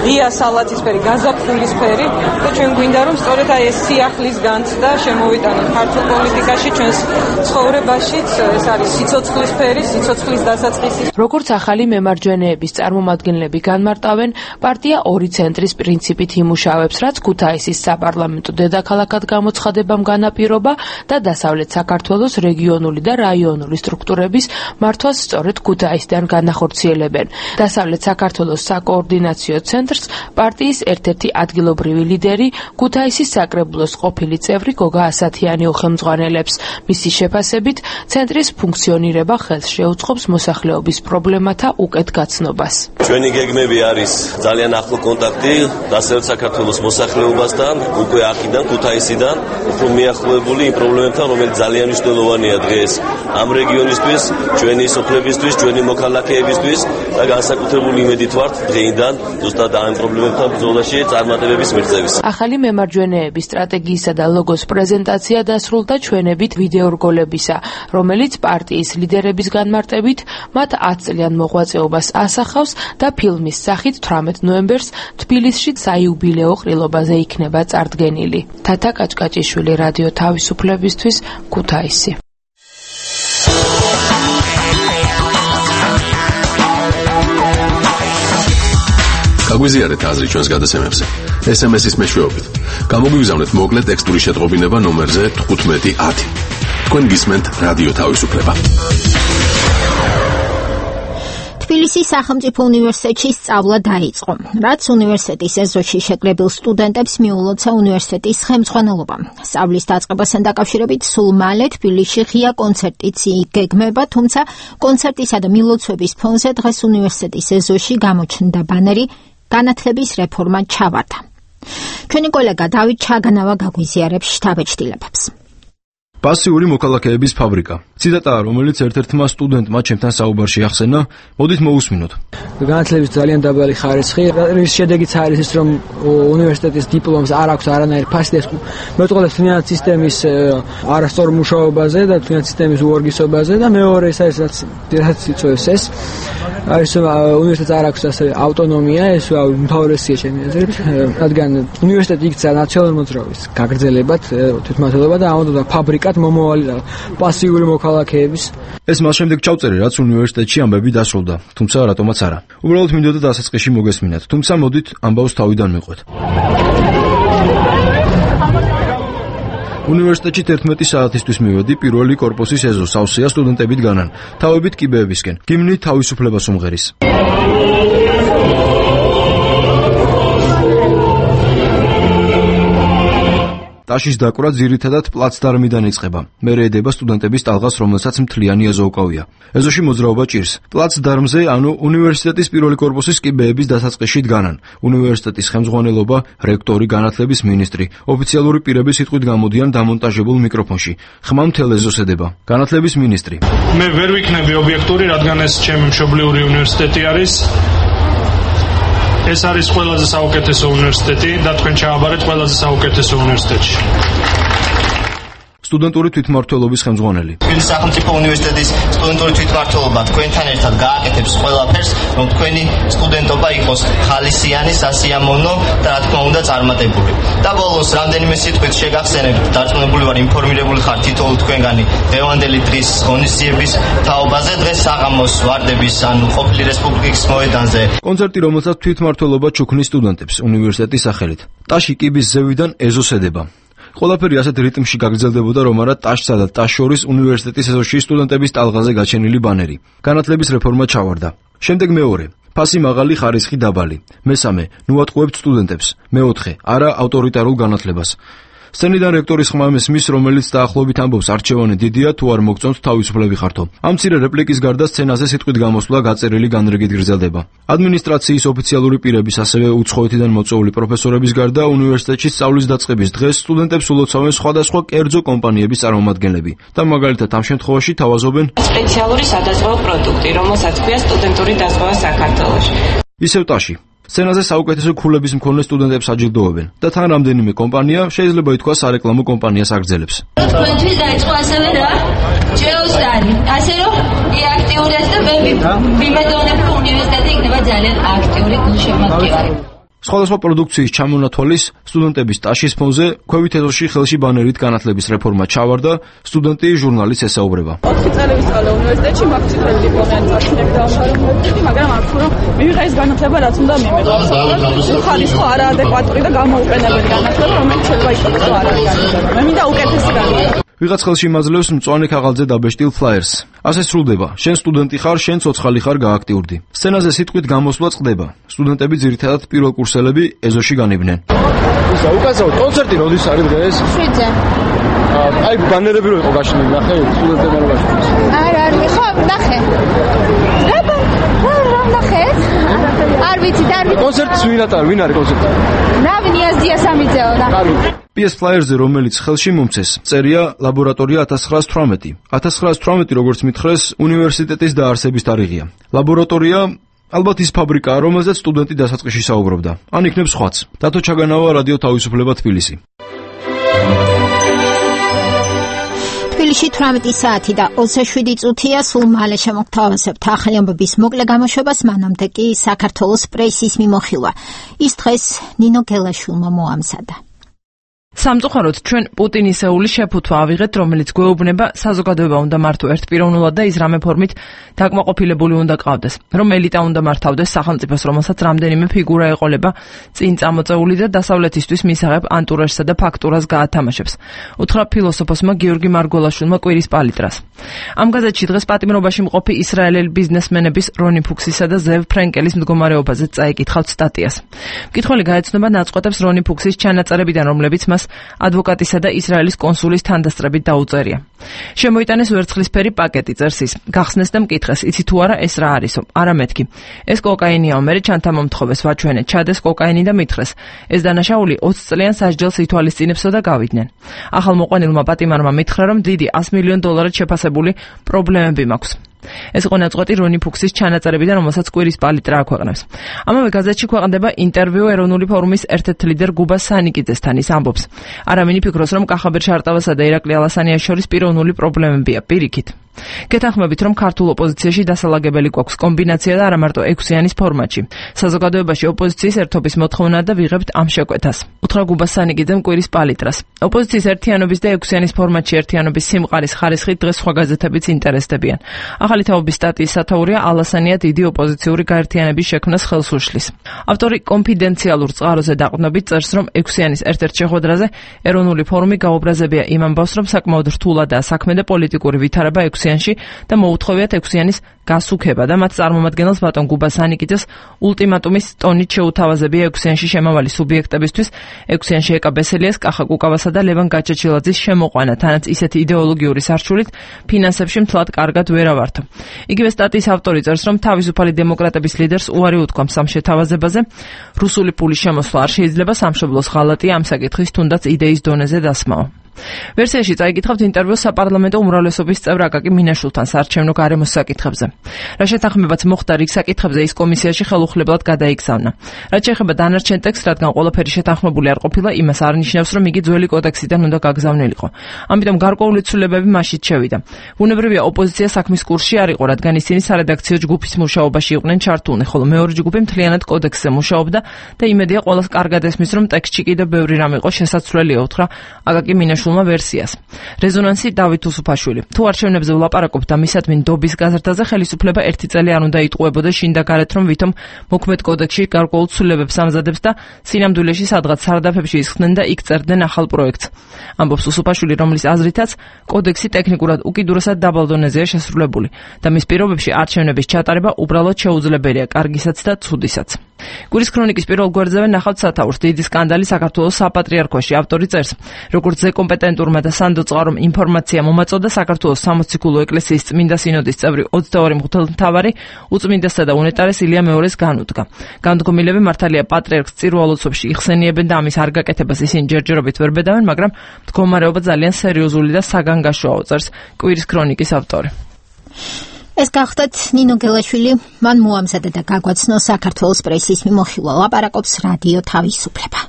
Speaker 19: ღია სალათისფერი, გაზაფხულისფერი და ჩვენ გვინდა, რომ სწორედ აი ეს სიახლის განცდა შემოვიტანოთ ქართულ პოლიტიკაში, ჩვენს ცხოვრებაშიც. ეს არის სიცოცხლის ფერი, სიცოცხლის დასაწყისი.
Speaker 7: როგორც ახალი მემარჯვენეების წარმომადგენლები განმარტავენ, პარტია ორი ცენტრის პრინციპით იმუშავებს, რაც ქუთაისის საპარლამენტო დედაქალაქად გამოცხადებამ განაპირობა და დასავლეთ საქართველოს რეგიონული და რაიონული სტრუქტურების მართვას სწორედ ქუთაისიდან განახორციელებენ. დასავლეთ საქართველოს საკოორდინაციო ცენტრს პარტიის ერთ-ერთი ადგილობრივი ლიდერი ქუთაისის საკრებულოს ყოფილი წევრი გოგა ასათიანი უხელმძღვანელებს. მისი შეფასებით, ცენტრის ფუნქციონირება ხელს შეუწყობს მოსახლეობის პრობლემათა უკეთ გაცნობას.
Speaker 20: ჩვენი გეგმები არის ძალიან ახლო კონტაქტი დასავლეთ საქართველოს მოსახლეობასთან, უკვე აქედან ქუთაისიდან, უფრო მიახლოებული იმ პრობლემებთან, რომელიც ძალიან მნიშვნელოვანია დღეს ამ რეგიონისთვის, ჩვენი სოფლებისთვის, ჩვენი მოქალაქეებისთვის და განსაკუთრებული იმედით ვართ დღეიდან ზუსტად ამ პრობლემებთან ბრძოლაში წარმატებების მიღწევის.
Speaker 7: ახალი მემარჯვენეების სტრატეგიისა და ლოგოს პრეზენტაცია დასრულდა ჩვენებით ვიდეორგოლებისა, რომელიც პარტიის ლიდერების განმარტებით მათ ათწლიან მოღვაწეობას ასახავს და ფილმის სახით თვრამეტ ნოემბერს თბილისში საიუბილეო ყრილობაზე იქნება წარდგენილი. თათა კაჭკაჭიშვილი, რადიო თავისუფლებისთვის, ქუთაისი.
Speaker 4: გაგვიზიარეთ აზრი ჩვენს გადაცემებზე. ეს ემ ეს-ის მეშვეობით. გამოგვიგზავნეთ მოკლე ტექსტური შეტყობინება ნომერზე თხუთმეტი ათი. თქვენ გისმენთ რადიო თავისუფლება.
Speaker 1: თბილისის სახელმწიფო უნივერსიტეტში სწავლა დაიწყო, რაც უნივერსიტეტის ეზოში შეკრებილ სტუდენტებს მიულოცა უნივერსიტეტის ხელმძღვანელობა. სწავლის დაწყებასთან დაკავშირებით სულ მალე თბილისში ღია კონცერტიც იგეგმება, თუმცა კონცერტისა და მილოცვების ფონზე დღეს უნივერსიტეტის ეზოში გამოჩნდა ბანერი განათლების რეფორმა ჩავარდა. ჩვენი კოლეგა დავით ჩაგანავა გაგვიზიარებს შთაბეჭდილებებს.
Speaker 11: პასიური მოქალაქეების ფაბრიკა. ციტატაა, რომელიც ერთ-ერთმა სტუდენტმა ჩემთან საუბარში ახსენა, მოდით მოусმინოთ.
Speaker 18: განათლების ძალიან დაბალი ხარისხი, რის შედეგიც არის ის, რომ უნივერსიტეტის დიპლომს არ აქვს არანაირი ფასი და მეტყველებს თვითონ სისტემის არასწორ მუშაობაზე და თვითონ სისტემის უორგისობაზე და მეორე ის არის, რაც რაც იწვევს ეს არის უნივერსიტეტს არ აქვს ასე ავტონომია, ეს უმთავრესია ჩემი აზრით, რადგან უნივერსიტეტი იქცა ნაციონალური მოძრაობის გაგრძელებად, თვითმმართველობა და ამოდოდა ფაბრიკა მომავალი და პასიური მოქალაქეების.
Speaker 11: ეს მას შემდეგ ჩავწერე, რაც უნივერსიტეტში ამბები დასრულდა, თუმცა რატომაც არა. უბრალოდ მინდოდა დასაწყისში მოგესმინათ, თუმცა მოდით ამბავს თავიდან მიყვეთ. უნივერსიტეტში თერთმეტი საათისთვის მივედი, პირველი კორპუსის ეზო სავსეა სტუდენტებით განან, თავებით კიბეებისკენ. გიმნი თავისუფლებას უმღერის. ტაშის დაკვრა ძირითადად პლაცდარმიდან იწყება. მერე ედება სტუდენტების ტალღას, რომელსაც მთლიანი ეზო უკავია. ეზოში მოძრაობა ჭირს. პლაცდარმზე, ანუ უნივერსიტეტის პირველი კორპუსის კიბეების დასაწყისში დგანან. უნივერსიტეტის ხელმძღვანელობა, რექტორი, განათლების მინისტრი, ოფიციალური პირები სიტყვით გამოდიან დამონტაჟებულ მიკროფონში. ხმა მთელ ეზოს ედება. განათლების მინისტრი.
Speaker 21: მე ვერ ვიქნები ობიექტური, რადგან ეს ჩემი მშობლიური უნივერსიტეტი არის. ეს არის ყველაზე საუკეთესო უნივერსიტეტი და თქვენ ჩააბარეთ ყველაზე საუკეთესო უნივერსიტეტში.
Speaker 11: სტუდენტური თვითმმართველობის ხელმძღვანელი.
Speaker 22: თბილისის სახელმწიფო უნივერსიტეტის სტუდენტური თვითმმართველობა თქვენთან ერთად გააკეთებს ყველაფერს, რომ თქვენი სტუდენტობა იყოს ხალისიანი, სასიამოვნო და რა თქმა უნდა წარმატებული. და ბოლოს რამდენიმე სიტყვით შეგახსენებთ, დარწმუნებული ვარ, ინფორმირებული ხართ თითოეულ თქვენგანი დღევანდელი დღის ღონისძიების თაობაზე, დღეს საღამოს ვარდების ანუ ყოფილი რესპუბლიკის მოედანზე.
Speaker 11: კონცერტი, რომელსაც თვითმმართველობა ჩუქნის სტუდენტებს უნივერსიტეტის სახელით. ტაში კიბის ზევიდან ეზოს ედება. ყველაფერი ასეთ რიტმში გაგრძელდებოდა, რომ არა ტაშსა და ტაშ შორის უნივერსიტეტის ეზოში სტუდენტების ტალღაზე გაჩენილი ბანერი. განათლების რეფორმა ჩავარდა. შემდეგ მეორე. ფასი მაღალი, ხარისხი დაბალი. მესამე. ნუატყუებთ სტუდენტებს. მეოთხე. არა ავტორიტარულ განათლებას. სცენიდან რექტორის ხმა მესმის, რომელიც დაახლოებით ამბობს, არჩევანი დიდია, თუ არ მოგწონთ თავისუფლები ხართო. ამ მცირე რეპლიკის გარდა სცენაზე სიტყვით გამოსვლა გაწერილი განრიგით გრძელდება. ადმინისტრაციის ოფიციალური პირების, ასევე უცხოეთიდან მოწვეული პროფესორების გარდა უნივერსიტეტში სწავლის დაწყების დღეს სტუდენტებს ულოცავენ სხვადასხვა კერძო კომპანიების წარმომადგენლები და მაგალითად ამ შემთხვევაში თავაზობენ
Speaker 23: სპეციალური სადაზღვევო პროდუქტი, რომელსაც ქვია სტუდენტური დაზღვევა საქართველოში.
Speaker 11: ისევ ტაში. სცენაზე საუკეთესო ქულების მქონე სტუდენტებს აჯილდოვებენ და თან რამდენიმე კომპანია, შეიძლება ითქვას, სარეკლამო კომპანიას აგრძელებს.
Speaker 24: თქვენთვის დაიწყო ასევე რა? ჯეოსტარი. ასე რომ აქტიურია და მე ვიმედოვნებ, რომ უნივერსიტეტი იქნება ძალიან აქტიური გულშემატკივარი.
Speaker 11: სხვადასხვა პროდუქციის ჩამონათვალის სტუდენტების ტაშის ფონზე ქვევით ეზოში ხელში ბანერით განათლების რეფორმა ჩავარდა, სტუდენტი ჟურნალისტს ესაუბრება.
Speaker 25: ოთხი წელი ვისწავლე უნივერსიტეტში, მაქვს წითელი დიპლომიანი წარჩინები დავამთავრე უნივერსიტეტი, მაგრამ აქ რომ მივიღე ეს განათლება, რაც უნდა მივიღო. ხარისხო არაადეკვატური და გამოუყენებელი განათლება, რომელიც შეიძლება იყოს არაადეკვატური. მე მინდა უკეთესი განათლება.
Speaker 11: ვიღაც ხელში იმაძლევს მწვანე ქაღალდზე დაბეჭდილ ფლაიერს. ასე სრულდება. შენ სტუდენტი ხარ, შენ ცოცხალი ხარ, გააქტიურდი. სცენაზე სიტყვით გამოსვლა წყდება. სტუდენტები ძირითადად პირველ კურსელები ეზოში განიბნენ.
Speaker 18: ისა უკაცრავად კონცერტი როდის არის დღეს?
Speaker 24: შვიდზე.
Speaker 18: აი ბანერები რო იყო გაშლილი, ნახე სტუდენტები რო გაშლილი.
Speaker 24: არა, არ ხო, ნახე. აბა, რა ნახე? არ ვიცი, არ ვიცი.
Speaker 18: კონცერტს ვინ ატარ, ვინ არის კონცერტი?
Speaker 24: რავი, ნიაზდია სამიძეო რა.
Speaker 11: პი ეს ფლაიერზე, რომელიც ხელში მომცეს, წერია ლაბორატორია ათას ცხრაას თვრამეტი. ათას ცხრაას თვრამეტი, როგორც მითხრეს, უნივერსიტეტის დაარსების თარიღია. ლაბორატორია ალბათ ის ფაბრიკაა, რომელზეც სტუდენტი დასაწყისში საუბრობდა. ან იქნებ სხვაც. დათო ჩაგანავა, რადიო თავისუფლება, თბილისი.
Speaker 1: თბილისში თვრამეტი საათი და ოცდაშვიდი წუთია, სულ მალე შემოგთავაზებთ ახალი ამბების მოკლე გამოშვებას, მანამდე კი საქართველოს პრესის მიმოხილვა. ის დღეს ნინო გელაშვილმა მოამზადა.
Speaker 7: სამწუხაროდ ჩვენ პუტინისეული შეფუთვა ავიღეთ, რომელიც გვეუბნება საზოგადოება უნდა მართო ერთპიროვნულად და ის რამე ფორმით დაკმაყოფილებული უნდა ყავდეს, რომ ელიტა უნდა მართავდეს სახელმწიფოს, რომელსაც რამდენიმე ფიგურა ეყოლება წინ წამოწეული და დასავლეთისთვის მისაღებ ანტურაჟსა და ფაქტურას გაათამაშებს. უთხრა ფილოსოფოსმა გიორგი მარგოლაშვილმა კვირის პალიტრას. ამ გაზეთში დღეს პატიმრობაში მყოფი ისრაელელი ბიზნესმენების რონი ფუქსისა და ზევ ფრენკელის მდგომარეობაზე წაიკითხავთ სტატიას. მკითხველი გაეცნობა ნაწყვეტებს რონი ფუქსის ჩანაწერებიდან, რომლებიც მას ადვოკატისა და ისრაელის კონსულის თანდასწრებით დაუწერია. შემოიტანეს ვერცხლისფერი პაკეტი, წერს ის. გახსნეს და მკითხეს, იცი თუ არა ეს რა არისო? არა მეთქი. ეს კოკაინიაო, მე ჩანთა მომთხოვეს, ვაჩვენე, ჩადეს კოკაინი და მითხრეს. ეს დანაშაული ოცი წლიან სასჯელს ითვალისწინებსო და გავიდნენ. ახალ მოყვანილმა პატიმარმა მითხრა, რომ დიდი ას მილიონ დოლარად შეფასებული პრობლემები მაქვს. ეს იყო ნაწყვეტი რონი ფუქსის ჩანაწერებიდან, რომელსაც კვირის პალიტრა აქვეყნებს. ამავე გაზეთში ქვეყნდება ინტერვიუ ეროვნული ფორუმის ერთ-ერთ ლიდერ გუბა სანიკიძესთან. ის ამბობს, არავინი ფიქრობს, რომ კახაბერ შარტავასა და ირაკლი ალასანიას შორის პიროვნული პრობლემებია, პირიქით. გეთანხმებით, რომ ქართულ ოპოზიციაში დასალაგებელი გვაქვს კომბინაცია და არა მარტო ექვსიანის ფორმატში. საზოგადოებაში ოპოზიციის ერთობის მოთხოვნა და ვიღებთ ამ შეკვეთას. უთხრა გუბა სანიკიძემ კვირის პალიტრას. ოპოზიციის ერთიანობის და ექვსიანის ფორმატში ერთიანობის სიმყარის ხარისხით დღეს სხვა გაზეთებიც ინტერესდებიან. ახალი თაობის სტატიის სათაურია ალასანია დიდი ოპოზიციური გაერთიანების შექმნას ხელს უშლის. ავტორი კონფიდენციალურ წყაროზე დაყრდნობით წერს, რომ ექვსიანის ერთ-ერთ შეხვედრაზე ეროვნული ფორუმი გაუბრაზებია იმ ამბავს, რომ საკმაოდ რთულადაა საქმე და პოლიტიკური ვითარება ექვსიანის ექვსიანში და მოუთხოვიათ ექვსიანის გასუქება და მათ წარმომადგენელს ბატონ გუბას ანიკიძეს ულტიმატუმის ტონით შეუთავაზებია ექვსიანში შემავალი სუბიექტებისთვის ექვსიანში ეკა ბესელიას, კახა კუკავასა და ლევან გაჩაჩილაძის შემოყვანა, თანაც ისეთი იდეოლოგიური სარჩულით ფინანსებში მთლად კარგად ვერ ავართო. იგივე სტატიის ავტორი წერს, რომ თავისუფალი დემოკრატების ლიდერს უარი უთქვამს ამ შეთავაზებაზე, რუსული პულის შემოსვლა არ შეიძლება, სამშობლოს ღალატია ამ საკითხის თუნდაც იდეის დონეზე დასმავა. ვერსიაში წაიკითხავთ ინტერვიუს საპარლამენტო უმრავლესობის წევრ აკაკი მინაშვილთან საარჩევნო გარემოს საკითხებზე. რა შეთანხმებაც მოხდა რიგ საკითხებზე, ის კომისიაში ხელუხლებლად გადაიგზავნა. რაც შეეხება დანარჩენ ტექსტს, რადგან ყველაფერი შეთანხმებული არ ყოფილა, იმას არ ნიშნავს, რომ იგი ძველი კოდექსიდან უნდა გაგზავნილიყო. ამიტომ გარკვეული ცვლილებები მასშიც შევიდა. ბუნებრივია, ოპოზიცია საქმის კურსში არ იყო, რადგან ისინი სარედაქციო ჯგუფის მუშაობაში იყვნენ ჩართულნი, ხოლო მეორე ჯგუფი მთლიანად კოდექსზე მუშაობდა და იმედია ყველას კარგად ესმის, რომ ტექსტში კიდევ ბევრი რამ იყო შესაძლებელი, უთხრა აკაკი მინაშვილმა ვერსიას. რეზონანსი დავით უსუფაშვილი. თუ არჩევნებზე ვლაპარაკობთ და მისადმი ნდობის გაზრდაზე, ხელისუფლება ერთი წელი არ უნდა იტყუებოდა შინ და გარეთ, რომ ვითომ მოქმედ კოდექსში გარკვეულ ცვლილებებს ამზადებს და სინამდვილეში სადღაც სარდაფებში ისხდნენ და იქ წერდნენ ახალ პროექტს. ამბობს უსუფაშვილი, რომლის აზრითაც კოდექსი ტექნიკურად უკიდურესად დაბალ დონეზეა შესრულებული და მის პირობებში არჩევნების ჩატარება უბრალოდ შეუძლებელია კარგისაც და ცუდისაც. გურის ქრონიკის პირველ გვერდზე ნახავთ სათაურს. დიდი სკანდალი საქართველოს საპატრიარქოში. ავტორი წერს, როგორც ზე კომპეტენტურმა და სანდო წყარომ ინფორმაცია მომაწოდა, საქართველოს სამოციქულო ეკლესიის წმინდა სინოდის წევრი ოცდაორი მღვდელმთავარი უწმინდესსა და უნეტარეს ილია მეორეს განუდგა. განდგომილები მართალია პატრიარქს წირვალოცებში იხსენიებენ და ამის არ გაკეთებას ისინი ჯერჯერობით ვერ ბედავენ, მაგრამ მდგომარეობა ძალიან სერიოზული და საგანგაშოა, წერს კვირის ქრონიკის ავტორი. ეს გახდათ ნინო გელაშვილი, მან მოამზადა და გაგვაცნო საქართველოს პრესის მიმოხილვა, ლაპარაკობს რადიო თავისუფლება.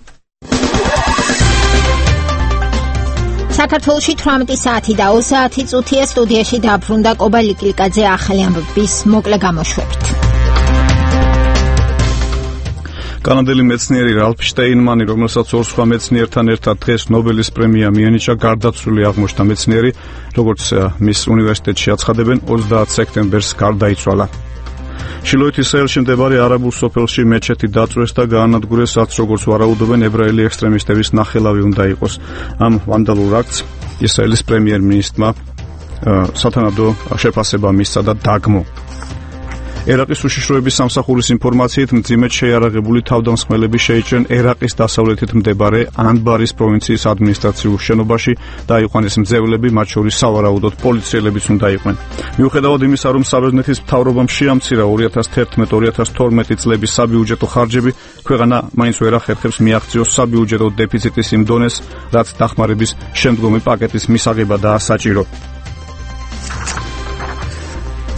Speaker 7: საქართველოში თვრამეტი საათი და ოცდაათი წუთია, სტუდიაში დაბრუნდა კობა ლიკლიკაძე ახალი ამბების მოკლე გამოშვებით.
Speaker 2: კანადელი მეცნიერი რალფ შტეინმანი, რომელსაც ორ სხვა მეცნიერთან ერთად დღეს ნობელის პრემია მიენიჭა, გარდაცვლილი აღმოჩნდა. მეცნიერი, როგორც მის უნივერსიტეტში აცხადებენ, ოცდაათ სექტემბერს გარდაიცვალა. შილოითის საელში მდებარე არაბულ სოფელში მეჩეთი დაწვეს და გაანადგურეს, რაც როგორც ვარაუდობენ, ებრაელი ექსტრემისტების ნახელავი უნდა იყოს. ამ ვანდალურ აქტს ისრაელის პრემიერ-მინისტრმა სათანადო შეფასება მისცა და დაგმო. ერაყის უშიშროების სამსახურის ინფორმაციით, მძიმედ შეიარაღებული თავდამსხმელები შეიჭრნენ ერაყის დასავლეთით მდებარე ანბარის პროვინციის ადმინისტრაციულ შენობაში და აიყვანეს მძევლები, მათ შორის სავარაუდოდ პოლიციელებიც უნდა იყვნენ. მიუხედავად იმისა, რომ საბერძნეთის მთავრობამ შეამცირა ორი ათას თერთმეტ ორი ათას თორმეტი წლების საბიუჯეტო ხარჯები, ქვეყანა მაინც ვერ ახერხებს მიაღწიოს საბიუჯეტო დეფიციტის იმ დონეს, რაც დახმარების შემდგომი პაკეტის მისაღებადაა საჭირო.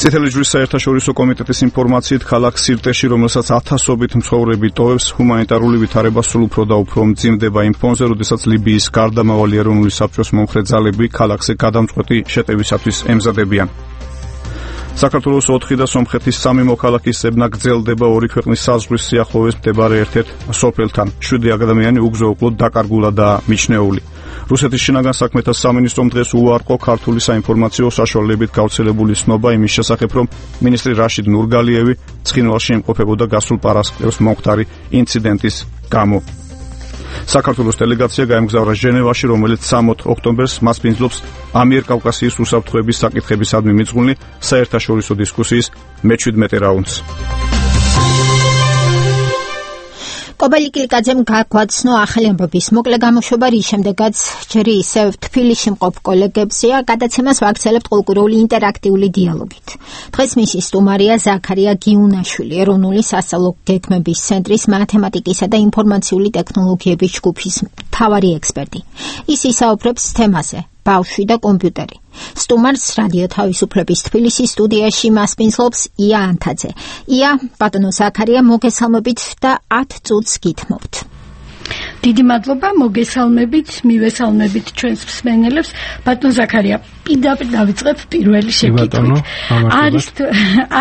Speaker 2: წითელი ჯვრის საერთაშორისო კომიტეტის ინფორმაციით, ქალაქ სირტეში, რომელსაც ათასობით მცხოვრები ტოვებს, ჰუმანიტარული ვითარება სულ უფრო და უფრო მძიმდება იმ ფონზე, როდესაც ლიბიის გარდამავალი ეროვნული საბჭოს მომხრე ძალები ქალაქზე გადამწყვეტი შეტევისათვის ემზადებიან. საქართველოს ოთხი და სომხეთის სამი მოქალაქის ზებნა გრძელდება ორი ქვეყნის საზღვრის სიახლოვეს მდებარე ერთ-ერთ სოფელთან. შვიდი ადამიანი უგზო უკლოდ დაკარგულა და მიჩნეული. რუსეთის შინაგან საქმეთა სამინისტრომ დღეს უარყო ქართული საინფორმაციო საშუალებით გავრცელებული ცნობა იმის შესახებ, რომ მინისტრი რაშიდ ნურგალიევი ცხინვალში იმყოფებოდა გასულ პარასკევს მომხდარი ინციდენტის გამო. საქართველოს დელეგაცია გაემგზავრა ჟენევაში, რომელიც სამოთხ ოქტომბერს მასპინძლობს ამიერკავკასიის უსაფრთხოების საკითხებისადმი მიძღვნილი საერთაშორისო დისკუსიის მეჩვიდმეტე რაუნდს.
Speaker 1: კობა ლიკლიკაძემ გაგვაცნო ახალი ამბების მოკლე გამოშვება, რის შემდეგაც ჯერ ისევ თბილისში მყოფ კოლეგებსია გადაცემას ვაგრძელებთ ყოლკურული ინტერაქტიული დიალოგით. დღეს მისი სტუმარია ზაქარია გიუნაშვილი, ეროვნული სასწავლო გეგმების ცენტრის მათემატიკისა და ინფორმაციული ტექნოლოგიების ჯგუფის მთავარი ექსპერტი. ის ისაუბრებს თემაზე ბავშვი და კომპიუტერი. სტუმარს რადიო თავისუფლების თბილისის სტუდიაში მასპინძლობს ია ანთაძე. ია, ბატონო ზაქარია, მოგესალმებით და ათ წუთს გითმობთ.
Speaker 3: დიდი მადლობა, მოგესალმებით, მივესალმებით ჩვენს მსმენელებს. ბატონ ზაქარია, პირდაპირ დავიწყებ პირველი შეკითხვით. არის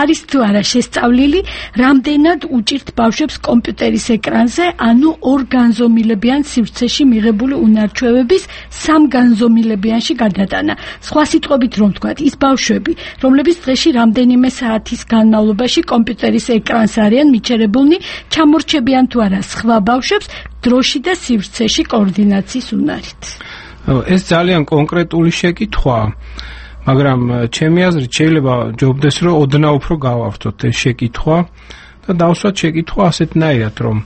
Speaker 3: არის თუ არა შესწავლილი, რამდენად უჭირთ ბავშვებს კომპიუტერის ეკრანზე, ანუ ორ განზომილებიან სივრცეში მიღებული უნარჩვევების სამ განზომილებიანში გადატანა. სხვა სიტყვებით რომ ვთქვათ, ის ბავშვები, რომლებიც დღეში რამდენიმე საათის განმავლობაში კომპიუტერის ეკრანს არიან მიჩერებულნი, ჩამორჩებიან თუ არა სხვა ბავშვებს დროში და სივრცეში კოორდინაციის უნარით.
Speaker 8: ეს ძალიან კონკრეტული შეკითხვაა.
Speaker 5: მაგრამ ჩემი აზრით შეიძლება ჯობდეს რომ ოდნავ უფრო გავავსოთ ეს შეკითხვა და დავსვათ შეკითხვა ასეთნაირად რომ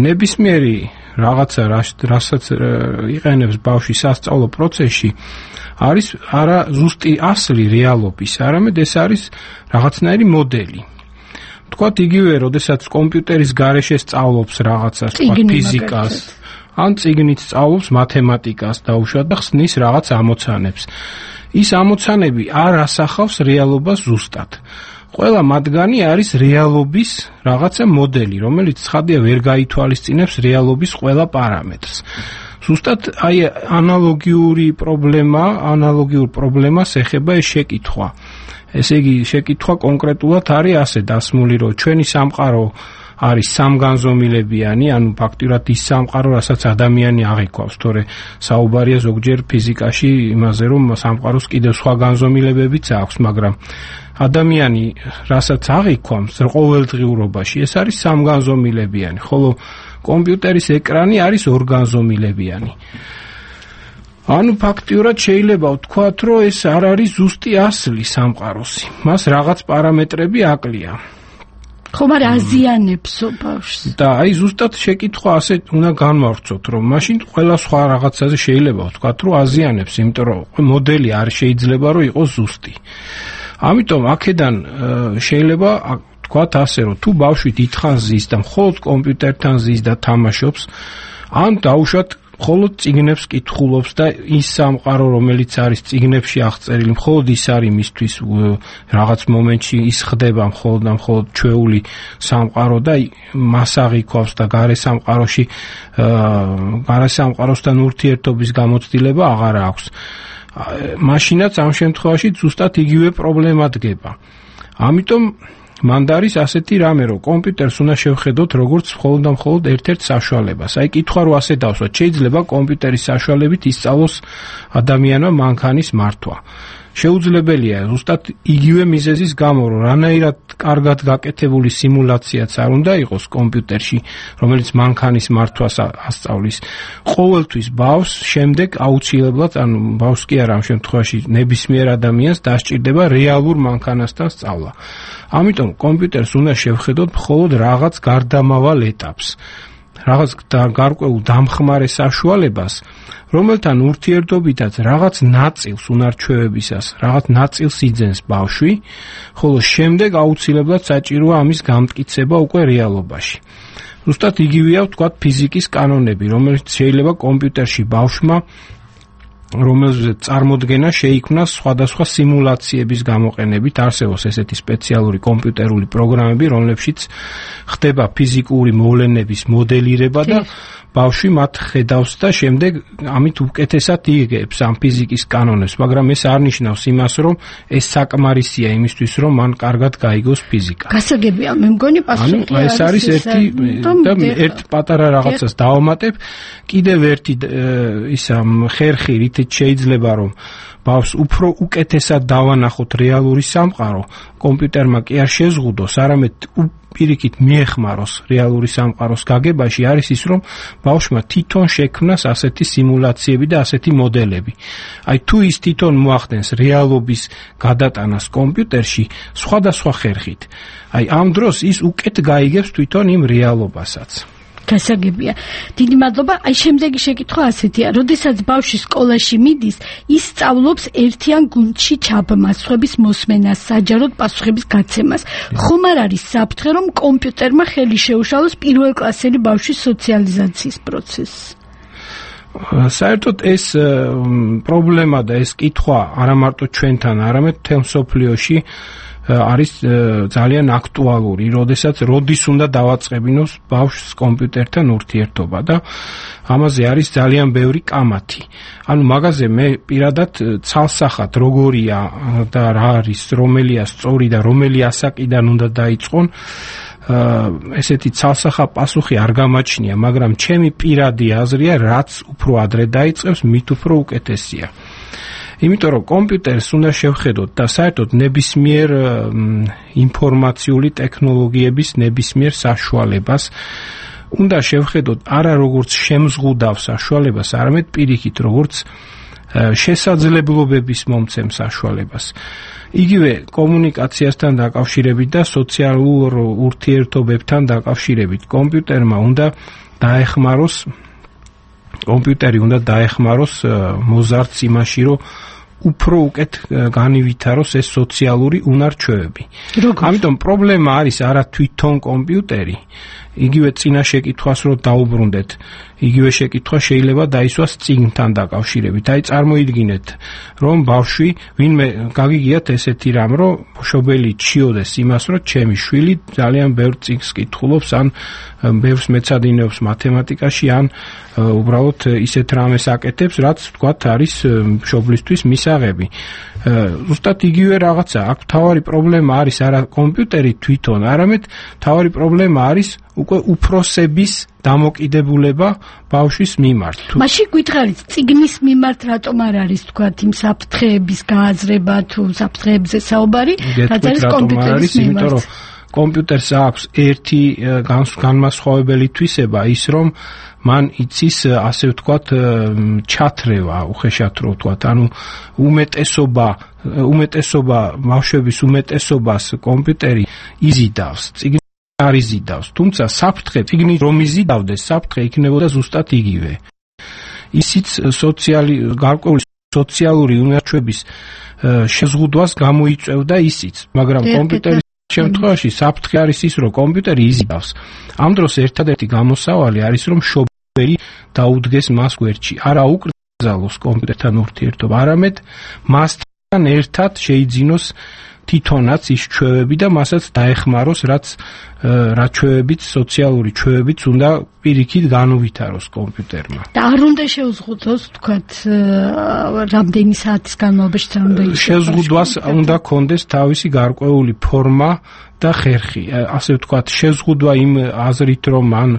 Speaker 5: ნებისმიერი რაღაცა რასაც იყენებს ბავშვი სასწავლო პროცესში არის არა ზუსტი ასლი რეალობის, არამედ ეს არის რაღაცნაირი მოდელი. თქვათ იგივე, როდესაც კომპიუტერის გარეშე სწავლობს რაღაცას, თქვათ ფიზიკას, ან წიგნით სწავლობს მათემატიკას დაუშვათ და ხსნის რაღაც ამოცანებს. ის ამოცანები არ ასახავს რეალობას ზუსტად. ყველა მათგანი არის რეალობის რაღაცა მოდელი, რომელიც ცხადია ვერ გაითვალისწინებს რეალობის ყველა პარამეტრს. ზუსტად აი ანალოგიური პრობლემა, ანალოგიურ პრობლემას ეხება ეს შეკითხვა. ესე იგი, შეკითხვა კონკრეტულად არის ასე დასმული, რომ ჩვენი სამყარო არის სამგანზომილებიანი, ანუ ფაქტურად ის სამყარო, რასაც ადამიანი აღიქვავს, თორე საუბარია ზოგჯერ ფიზიკაში იმაზე, რომ სამყაროს კიდევ სხვა განზომილებებიც აქვს, მაგრამ ადამიანი, რასაც აღიქვამს ყოველდღიურობაში, ეს არის სამგანზომილებიანი, ხოლო კომპიუტერის ეკრანი არის ორგანზომილებიანი. ანუ ფაქტიურად შეიძლება ვთქვათ, რომ ეს არ არის ზუსტი ასლი სამყაროსი. მას რაღაც პარამეტრები აკლია.
Speaker 3: ხომ არ აზიანებსო ბავშვს.
Speaker 5: და აი ზუსტად შეკითხვა ასე უნდა განვავრცოთ, რომ მაშინ ყველა სხვა რაღაცაზე შეიძლება ვთქვათ, რომ აზიანებს, იმიტომ რომ მოდელი არ შეიძლება რომ იყოს ზუსტი. ამიტომ აქედან შეიძლება ვთქვათ ასე, რომ თუ ბავშვი დიდხანს ზის და მხოლოდ კომპიუტერთან ზის და თამაშობს, ან დაუშვათ მხოლოდ წიგნებს კითხულობს და ის სამყარო, რომელიც არის წიგნებში აღწერილი, მხოლოდ ის არის მისთვის რაღაც მომენტში ის ხდება მხოლოდ და მხოლოდ ჩვეული სამყარო და მას აღიქვავს და გარე სამყაროში გარე სამყაროსთან ურთიერთობის გამოცდილება აღარ აქვს. მაშინაც ამ შემთხვევაში ზუსტად იგივე პრობლემა დგება. ამიტომ მანდ არის ასეთი რამე, რომ კომპიუტერს უნდა შევხედოთ როგორც მხოლოდ და მხოლოდ ერთ-ერთ საშუალებას. აი კითხვა რო ასე დავსვათ, შეიძლება კომპიუტერის საშუალებით ისწავლოს ადამიანმა მანქანის მართვა. შეუძლებელია ზუსტად იგივე მიზეზის გამო, რომ რანაირად კარგად გაკეთებული სიმულაციაც არ უნდა იყოს კომპიუტერში, რომელიც მანქანის მართვას ასწავლის. ყოველთვის ბავშვს შემდეგ აუცილებლად, ანუ ბავშვს კი არა ამ შემთხვევაში ნებისმიერ ადამიანს დასჭირდება რეალურ მანქანასთან სწავლა. ამიტომ კომპიუტერს უნდა შევხედოთ მხოლოდ რაღაც გარდამავალ ეტაპს, რაღაც გარკვეულ დამხმარე საშუალებას, რომელთან ურთიერთობითაც რაღაც ნაწილს უნარჩვევებისას, რაღაც ნაწილს იძენს ბავშვი, ხოლო შემდეგ აუცილებლად საჭიროა ამის გამტკიცება უკვე რეალობაში. ზუსტად იგივეა ვთქვათ ფიზიკის კანონები, რომელიც შეიძლება კომპიუტერში ბავშვმა რომელზეც წარმოდგენა შეიქმნას სხვადასხვა სიმულაციების გამოყენებით, არსებობს ესეთი სპეციალური კომპიუტერული პროგრამები, რომლებშიც ხდება ფიზიკური მოვლენების მოდელირება და ბავშვი მათ ხედავს და შემდეგ ამით უკეთესად იგებს ამ ფიზიკის კანონებს, მაგრამ ეს არ ნიშნავს იმას, რომ ეს საკმარისია იმისთვის, რომ მან კარგად გაიგოს ფიზიკა.
Speaker 3: გასაგებია, მე მგონი პასუხი
Speaker 5: არის. ეს არის ერთი და ერთ პატარა რაღაცას დავამატებ, კიდევ ერთი ისა ხერხი, რითიც შეიძლება რომ ბავშვს უფრო უკეთესად დავანახოთ რეალური სამყარო, კომპიუტერმა კი არ შეზღუდოს, არამედ პირიქით მიეხმაროს რეალური სამყაროს გაგებაში, არის ის, რომ ბავშვმა თვითონ შექმნას ასეთი სიმულაციები და ასეთი მოდელები. აი თუ ის თვითონ მოახდენს რეალობის გადატანას კომპიუტერში სხვადასხვა ხერხით, აი ამ დროს ის უკეთ გაიგებს თვითონ იმ რეალობასაც.
Speaker 3: გასაგებია. დიდი მადლობა. აი შემდეგი შეკითხვა ასეთია. როდესაც ბავშვი სკოლაში მიდის, ის სწავლობს ერთიან გუნდში ჩაბმასვების მოსმენას, საჯაროდ პასუხების გაცემას. ხომ არ არის საფრთხე, რომ კომპიუტერმა ხელი შეუშალოს პირველკლასელი ბავშვის სოციალიზაციის პროცესს?
Speaker 5: საერთოდ ეს პრობლემა და ეს კითხვა არა მარტო ჩვენთან, არამედ მთელ მსოფლიოში არის ძალიან აქტუალური, როდესაც როდის უნდა დავაწყებინოს ბავშვს კომპიუტერთან ურთიერთობა და ამაზე არის ძალიან ბევრი კამათი. ანუ მაგაზე მე პირადად ცალსახად როგორია და რა არის, რომელია სწორი და რომელი ასაკიდან უნდა დაიწყონ, ესეთი ცალსახა პასუხი არ გამაჩნია, მაგრამ ჩემი პირადი აზრია, რაც უფრო ადრე დაიწყებს, მით უფრო უკეთესია. იმიტომ რომ კომპიუტერს უნდა შევხედოთ და საერთოდ ნებისმიერ ინფორმაციული ტექნოლოგიების ნებისმიერ საშუალებას უნდა შევხედოთ არა როგორც შემზღუდავ საშუალებას, არამედ პირიქით როგორც შესაძლებლობების მომცემ საშუალებას. იგივე კომუნიკაციასთან დაკავშირებით და სოციალურ ურთიერთობებთან დაკავშირებით კომპიუტერმა უნდა დაეხმაროს კომპიუტერი უნდა დაეხმაროს მოზარდს იმაში, რომ უფრო უკეთ განივითაროს ეს სოციალური უნარჩვევები. ამიტომ პრობლემა არის არა თვითონ კომპიუტერი, იგივე წინა შეკითხვას რო დაუბრუნდეთ, იგივე შეკითხვა შეიძლება დაისვას წიგნთან დაკავშირებით. აი წარმოიდგინეთ, რომ ბავშვი ვინმე გაგიგიათ ესეთი რამ, რომ მშობელი ჩიოდეს იმას, რომ ჩემი შვილი ძალიან ბევრ წიგნს კითხულობს, ან ბევრს მეცადინეობს მათემატიკაში, ან უბრალოდ ისეთ რამეს აკეთებს, რაც თქვათ არის მშობლისთვის მისაღები. ზუსტად იგივე რაღაცა, აქ მთავარი პრობლემა არის არა კომპიუტერი თვითონ, არამედ მთავარი პრობლემა არის უკვე უფროსების დამოკიდებულება ბავშვის მიმართ.
Speaker 3: მაშინ გითხარით, წიგნის მიმართ რატომ არ არის თქვათ იმ საფრთხეების გააზრება თუ საფრთხეებზე საუბარი, რაც არის კომპიუტერის მიმართ? კომპიუტერს აქვს ერთი განმასხვავებელი თვისება, ის რომ მან იცის ასე ვთქვათ ჩათრევა, უხეშად რო ვთქვათ, ანუ უმეტესობა უმეტესობა ბავშვების უმეტესობას კომპიუტერი იზიდავს, წიგნი არ იზიდავს, თუმცა საფრთხე წიგნი რომ იზიდავდეს, საფრთხე იქნებოდა ზუსტად იგივე. ისიც სოციალი გარკვეული სოციალური უნარჩვების შეზღუდვას გამოიწვევდა ისიც, მაგრამ კომპიუტერი შემთხვევაში საფრთხე არის ის, რომ კომპიუტერი იზიდავს. ამ დროს ერთადერთი გამოსავალი არის, რომ მშობელი დაუდგეს მას გვერდში. არა უკრძალოს კომპიუტერთან ურთიერთობა, არამედ მასთან ერთად შეიძინოს თვითონაც ის ჩვევები და მასაც დაეხმაროს, რაც რა ჩვევებით, სოციალური ჩვევებით უნდა პირიქით განუვითაროს კომპიუტერმა. და არ უნდა შეუზღუდოს, თქვათ, რამდენი საათის განმავლობაში უნდა ის
Speaker 5: შეზღუდვას უნდა კონდეს თავისი გარკვეული ფორმა და ხერხი. ასე ვთქვათ, შეზღუდვა იმ აზრით, რომ მან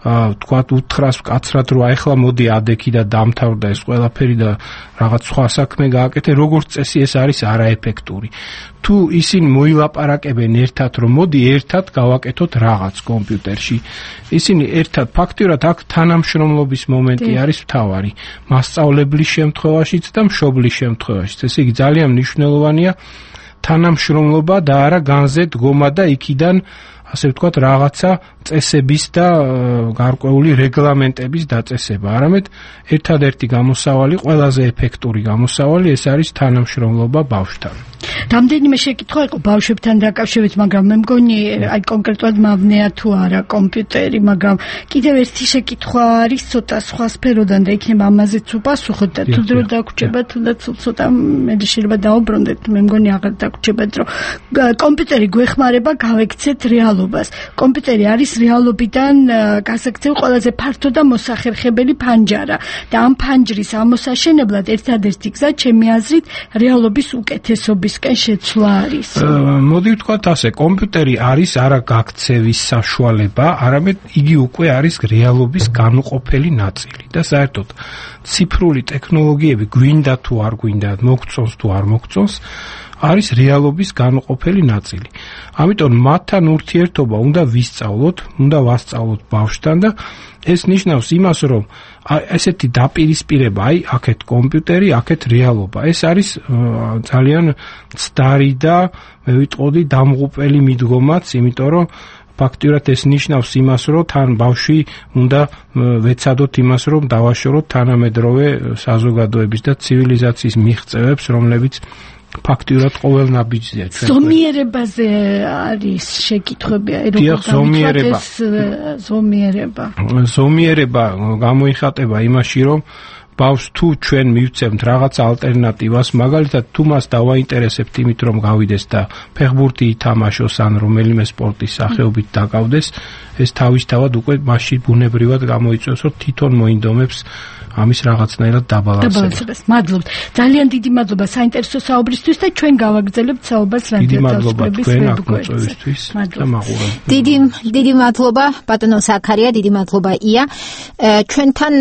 Speaker 5: ვთქვათ, უთხრას მკაცრად, რომ ახლა მოდი ადექი და დამთავრდა ეს ყველაფერი და რაღაც სხვა საქმე გააკეთე, როგორც წესი ეს არის არაეფექტური. თუ ისინი მოილაპარაკებენ ერთად, რომ მოდი ერთად გავაკეთოთ რაღაც კომპიუტერში, ისინი ერთად ფაქტიურად აქ თანამშრომლობის მომენტი არის მთავარი, მასწავლებლის შემთხვევაშიც და მშობლის შემთხვევაშიც. ესე იგი ძალიან მნიშვნელოვანია თანამშრომლობა და არა განზე დგომა და იქიდან ასე ვთქვათ რაღაცა წესების და გარკვეული რეგლამენტების დაწესება, არამედ ერთადერთი გამოსავალი, ყველაზე ეფექტური გამოსავალი ეს არის თანამშრომლობა ბავშვთან.
Speaker 3: რამდენიმე შეკითხვა იყო ბავშვებთან დაკავშირებით, მაგრამ მე მგონი აი კონკრეტულად მავნეა თუ არა კომპიუტერი, მაგრამ კიდევ ერთი შეკითხვა არის ცოტა სხვა სფეროდან და იქნება ამაზეც უპასუხოთ და თუ დრო დაგვრჩება, თუნდაც ცოტა მე შეიძლება დაუბრუნდეთ, მე მგონი აღარ დაგვრჩებათ, რომ კომპიუტერი გვეხმარება გავექცეთ რეალობას. კომპიუტერი არის რეალობიდან გასაქცევ ყველაზე ფართო და მოსახერხებელი ფანჯარა და ამ ფანჯრის ამოსაშენებლად ერთადერთი გზა ჩემი აზრით რეალობის უკეთესობისკენ შეცვლა არის.
Speaker 5: მოდი ვთქვათ ასე, კომპიუტერი არის არა გაქცევის საშუალება, არამედ იგი უკვე არის რეალობის განუყოფელი ნაწილი და საერთოდ ციფრული ტექნოლოგიები გვინდა თუ არ გვინდა, მოგწონს თუ არ მოგწონს, არის რეალობის განუყოფელი ნაწილი. ამიტომ მათთან ურთიერთობა უნდა ვისწავლოთ, უნდა ვასწავლოთ ბავშვთან და ეს ნიშნავს იმას, რომ ესეთი დაპირისპირება, აი, აქეთ კომპიუტერი, აქეთ რეალობა. ეს არის ძალიან ცდარი და მე ვიტყოდი დამღუპელი მიდგომაც, იმიტომ რომ ფაქტიურად ეს ნიშნავს იმას, რომ თან ბავშვი უნდა ვეცადოთ იმას, რომ დავაშოროთ თანამედროვე საზოგადოების და ცივილიზაციის მიღწევებს, რომლებიც ფაქტიურად ყოველ ნაბიჯზეა ჩვენ.
Speaker 3: ზომიერებაზე არის შეკითხვები, აი როგორ
Speaker 5: ზომიერება.
Speaker 3: ზომიერება.
Speaker 5: ზომიერება გამოიხატება იმაში, რომ ბავშვს თუ ჩვენ მივცემთ რაღაც ალტერნატივას, მაგალითად თუ მას დავაინტერესებთ იმით, რომ გავიდეს და ფეხბურთი ითამაშოს ან რომელიმე სპორტის სახეობით დაკავდეს, ეს თავისთავად უკვე მასში ბუნებრივად გამოიწვევს, რომ თვითონ მოინდომებს ამის რაღაცნაირად დაბალანსებას.
Speaker 3: მადლობთ. ძალიან დიდი მადლობა საინტერესო საუბრისთვის და ჩვენ გავაგრძელებთ საუბარს რადიო თავისუფლების ვებგვერდზე.
Speaker 1: დიდი დიდი მადლობა ბატონო ზაქარია, დიდი მადლობა ია. ჩვენთან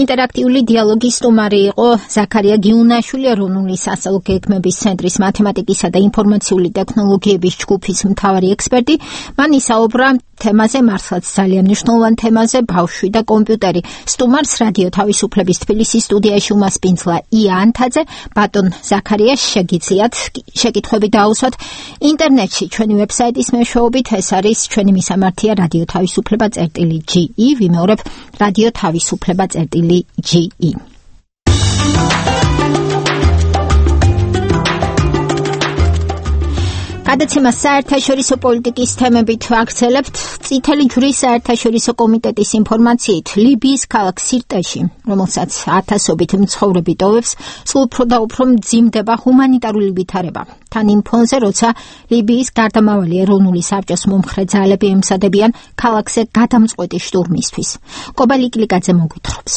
Speaker 1: ინტერაქტიული დიალოგის სტუმარი იყო ზაქარია გიუნაშვილი, ეროვნული სასწავლო გეგმების ცენტრის მათემატიკისა და ინფორმაციული ტექნოლოგიების ჯგუფის მთავარი ექსპერტი. მან ისაუბრა თემაზე, მართლაც ძალიან მნიშვნელოვან თემაზე, ბავშვი და კომპიუტერი. სტუმარს რადიო თავისუფლების თბილისის სტუდიაში უმასპინძლა ია ანთაძე, ბატონ ზაქარიას შეგიძლიათ შეკითხვები დაუსვათ ინტერნეტში ჩვენი ვებსაიტის მეშვეობით. ეს არის ჩვენი მისამართია რადიო თავისუფლება წერტილი ჯი ი, ვიმეორებ რადიო თავისუფლება წერტილი ჯი ი. გადაცემას საერთაშორისო პოლიტიკის თემებით ვაგრძელებთ. წითელი ჯვრის საერთაშორისო კომიტეტის ინფორმაციით, ლიბიის ქალაქ სირტეში, რომელსაც ათასობით მცხოვრები ტოვებს, სულ უფრო და უფრო მძიმდება ჰუმანიტარული ვითარება. თან იმ ფონზე, როცა ლიბიის გარდამავალი ეროვნული საბჭოს მომხრე ძალები ემსადებიან ქალაქზე გადამწყვეტი შტურმისთვის. კობალი კილიკაძე მოგვითხრობს.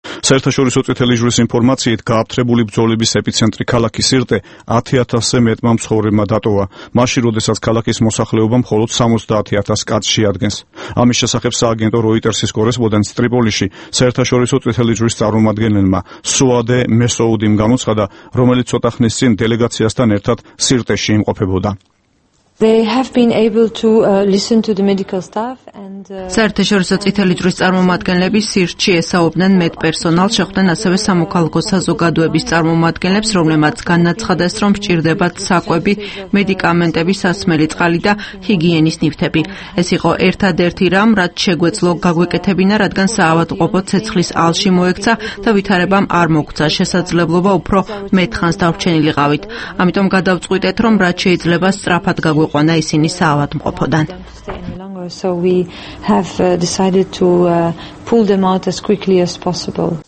Speaker 2: საერთაშორისო წითელი ჯვრის ინფორმაციით, გააფთრებული ბრძოლების ეპიცენტრი ქალაქი სირტე ათი ათასზე მეტმა მცხოვრებმა დატოვა, მაშინ როდესაც ქალაქის მოსახლეობა მხოლოდ სამოცდაათი ათას კაცს შეადგენს. ამის შესახებ სააგენტო როიტერსის კორესპონდენტს ტრიპოლიში საერთაშორისო წითელი ჯვრის წარმომადგენელმა სუადე მესოუდიმ გამოცხადა, რომელიც ცოტა ხნის წინ დელეგაციასთან ერთად სირტეში იმყოფებოდა.
Speaker 8: They have been able to uh, listen to the medical staff and
Speaker 7: საერთაშორისო წითელი ჯვრის წარმომადგენლები სირტში ესაუბნენ მედპერსონალს, შეხვდნენ ასევე სამოქალაქო საზოგადოების წარმომადგენლებს, რომლებმაც განაცხადეს, რომ სჭირდებათ საკვები, მედიკამენტები, სასმელი წყალი და ჰიგიენის ნივთები. ეს იყო ერთადერთი რამ, რაც შეგვეძლო გაგვეკეთებინა, რადგან საავადმყოფო ცეცხლის ალში მოექცა და ვითარებამ არ მოგცა შესაძლებლობა უფრო მეტ ხანს დავრჩენილიყავით. ამიტომ გადავწყვიტეთ, რომ რაც შეიძლება სწრაფად გაგვეყო ყვანა ისინი საავადმყოფოდან.
Speaker 8: So we have uh, decided to uh, pull them out as quickly as possible.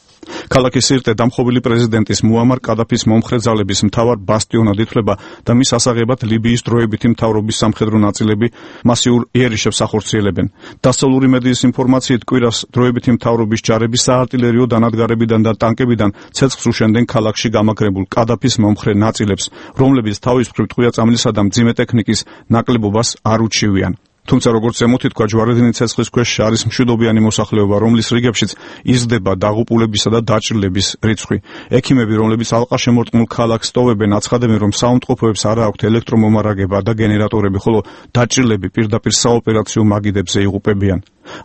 Speaker 2: ქალაქი სირტე დამხობილი პრეზიდენტის მუამარ კადაფის მომხრე ძალების მთავარ ბასტიონად ითვლება და მის ასაღებად ლიბიის დროებითი მთავრობის სამხედრო ნაწილები მასიურ იერიშებს ახორციელებენ. დასავლური მედიის ინფორმაციით, კვირას დროებითი მთავრობის ჯარები საარტილერიო დანადგარებიდან და ტანკებიდან ცეცხლს უშენდნენ ქალაქში გამაგრებულ კადაფის მომხრე ნაწილებს, რომლებიც თავის მხრივ ტყვია-წამლისა და მძიმე ტექნიკის ნაკლებობას არ უჩივიან. თუმცა როგორც ზემოთი თქვა, ჯვარედინი ცეცხლის ქვეშ არის მშვიდობიანი მოსახლეობა, რომლის რიგებშიც იზრდება დაღუპულებისა და დაჭრილების რიცხვი. ექიმები, რომლებიც ალყაშემორტყმულ ქალაქს ტოვებენ, აცხადებენ, რომ საავადმყოფოებს არ აქვთ ელექტრომომარაგება და გენერატორები, ხოლო დაჭრილები პირდაპირ საოპერაციო მაგიდებზე იღუპებიან.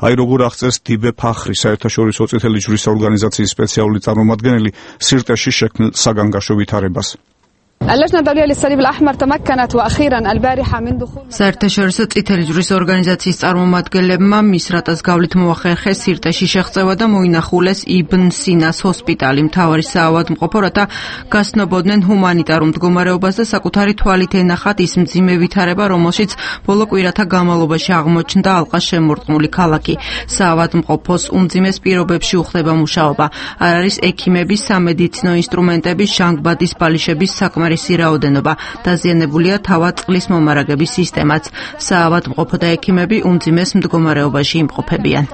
Speaker 2: აი როგორ აღწერს დიბე ფახრი, საერთაშორისო წითელი ჯვრის ორგანიზაციის სპეციალური წარმომადგენელი, სირტეში შექმნილ საგანგაშო ვითარებას.
Speaker 7: საერთაშორისო წითელი ჯვრის ორგანიზაციის წარმომადგენლებმა მისრატას გავლით მოახერხეს სირტეში შეღწევა და მოინახულეს იბნ სინას ჰოსპიტალი, მთავარი საავადმყოფო, რათა გასნობოდნენ ჰუმანიტარულ მდგომარეობას და საკუთარი თვალით ენახათ ის მძიმე ვითარება, რომელშიც ბოლო კვირათა განმავლობაში აღმოჩნდა ალყაშემორტყმული ქალაქი. საავადმყოფოს უმძიმეს პირობებში უხდება მუშაობა. არ არის ექიმების, სამედიცინო ინსტრუმენტების, ჟანგბადის ბალიშების საკმარისი რაოდენობა. დაზიანებულია თავად წყლის მომარაგების სისტემაც. საავადმყოფო და ექიმები უმძიმეს მდგომარეობაში იმყოფებიან.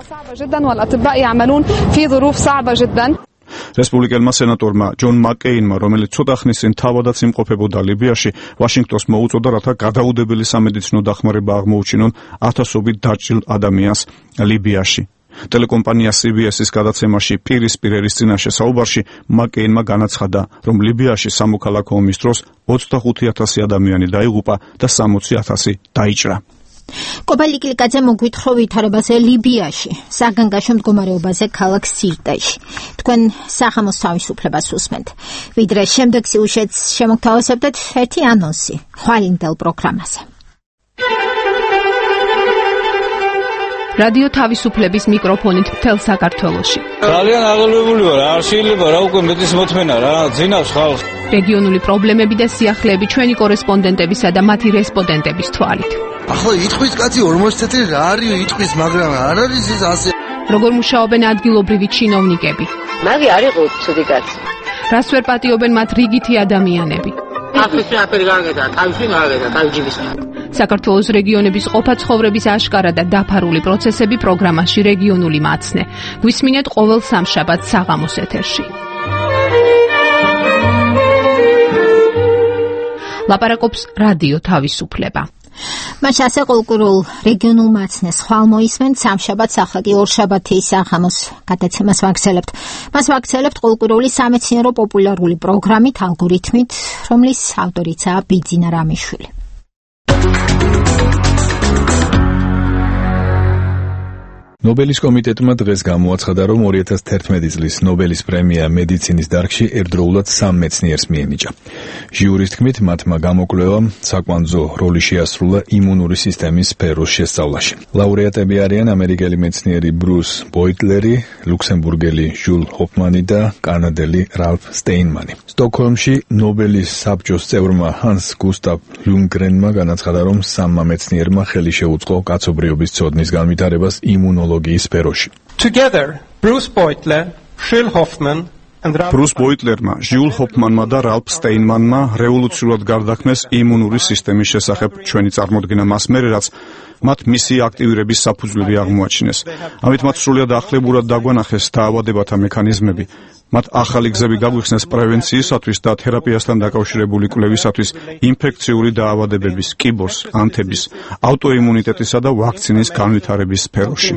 Speaker 2: რესპუბლიკელმა სენატორმა ჯონ მაკეინმა, რომელიც ცოტა ხნის წინ თავადაც იმყოფებოდა ლიბიაში, ვაშინგტონს მოუწოდა, რათა გადაუდებელი სამედიცინო დახმარება აღმოუჩინონ ათასობით დაჭრილ ადამიანს ლიბიაში. ტელეკომპანია სი ბი ეს-ის გადაცემაში პირისპირ ერის წინაშე საუბარში მაკეინმა განაცხადა, რომ ლიბიაში სამოქალაქო ომის დროს ოცდახუთი ათასი ადამიანი დაიღუპა და სამოცი ათასი დაიჭრა.
Speaker 1: კობალი კილიკაძე მოგვითხრობ ვითარებაზე ლიბიაში, საგანგაშო მდგომარეობაზე ქალაქ სირტეში. თქვენ სახამოს თავისუფლებას უსმენთ. ვიდრე შემდეგ სიუჟეტს შემოგთავაზებდეთ ერთი ანონსი ხვალინდელ პროგრამაზე.
Speaker 12: რადიო თავისუფლების მიკროფონით მთელ საქართველოში.
Speaker 18: ძალიან აღელვებული ვარ, არ შეიძლება რა უკვე მეტის მოთმენა რა, ძინავს ხალხს.
Speaker 12: რეგიონული პრობლემები და სიახლეები ჩვენი კორესპონდენტებისა და მათი რესპონდენტების თვალით.
Speaker 9: ახლა იტყვის კაცი ორმოცი წელი რა არის იტყვის, მაგრამ არ არის ეს ასე.
Speaker 12: როგორ მუშაობენ ადგილობრივი ჩინოვნიკები?
Speaker 23: მაგი არ იყო ცუდი კაცი.
Speaker 12: რას ვერ პატიობენ მათ რიგითი ადამიანები?
Speaker 23: ახლა შეაფერი გაგედა, თავში გაგედა, თავჯიბის.
Speaker 12: საქართველოს რეგიონების ყოფა ცხოვრების აშკარა და დაფარული პროცესები პროგრამაში რეგიონული მაცნე. გვისმინეთ ყოველ სამშაბათს საღამოს ეთერში. ლაპარაკობს რადიო თავისუფლება.
Speaker 1: მას ასე კულტურულ რეგიონულ მაცნეს ხვალ მოისმენთ სამშაბათს, ახლა კი ორშაბათი საღამოს გადაცემას ვაგრძელებთ. მას ვაგრძელებთ კულტურული სამეცნიერო პოპულარული პროგრამით, ალგორითმით, რომლის ავტორიცაა ბიძინა რამიშვილი.
Speaker 11: ნობელის კომიტეტმა დღეს გამოაცხადა, რომ ორი ათას თერთმეტი წლის ნობელის პრემია მედიცინის დარგში ერთდროულად სამ მეცნიერს მიენიჭა. ჟიურის თქმით, მათმა გამოკვლევამ საკვანძო როლი შეასრულა იმუნური სისტემის სფეროს შესწავლაში. ლაურეატები არიან ამერიკელი მეცნიერი ბრუს ბოიტლერი, ლუქსემბურგელი ჟულ ჰოფმანი და კანადელი რალფ სტეინმანი. სტოკჰოლმში ნობელის საბჭოს წევრმა ჰანს გუსტავ ლუნგრენმა განაცხადა, რომ სამმა მეცნიერმა ხელი შეუწყო კაცობრიობის ცოდნის განვითარებას იმუნოლოგიის სფეროში.
Speaker 10: Together, Bruce Beutler, Jill Hoffman
Speaker 2: ბრუს ბოიტლერმა, ჟიულ ჰოფმანმა და რალფ სტეინმანმა რევოლუციურად გარდაქმნეს იმუნური სისტემის შესახებ ჩვენი წარმოდგენა მას მერე, რაც მათ მისი აქტივირების საფუძვლები აღმოაჩინეს. ამით მათ სრულად ახლებურად დაგვანახეს დაავადებათა მექანიზმები. მათ ახალი გზები გაგვიხსნეს პრევენციისათვის და თერაპიასთან დაკავშირებული კვლევისათვის ინფექციური დაავადებების, კიბოს, ანთების, ავტოიმუნიტეტისა და ვაქცინის განვითარების სფეროში.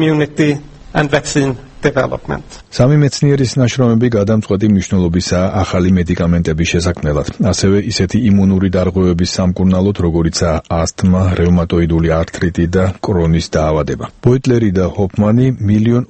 Speaker 10: and vaccine development.
Speaker 11: სამი მეცნიერის ნაშრომები გადამწყვეტი მნიშვნელობისაა ახალი მედიკამენტების შესაქმნელად, ასევე ისეთი იმუნური დარღვევების სამკურნალოდ, როგორიცაა ასთმა, რევმატოიდული ართრიტი და კრონის დაავადება. ბოიტლერი და ჰოფმანი მილიონ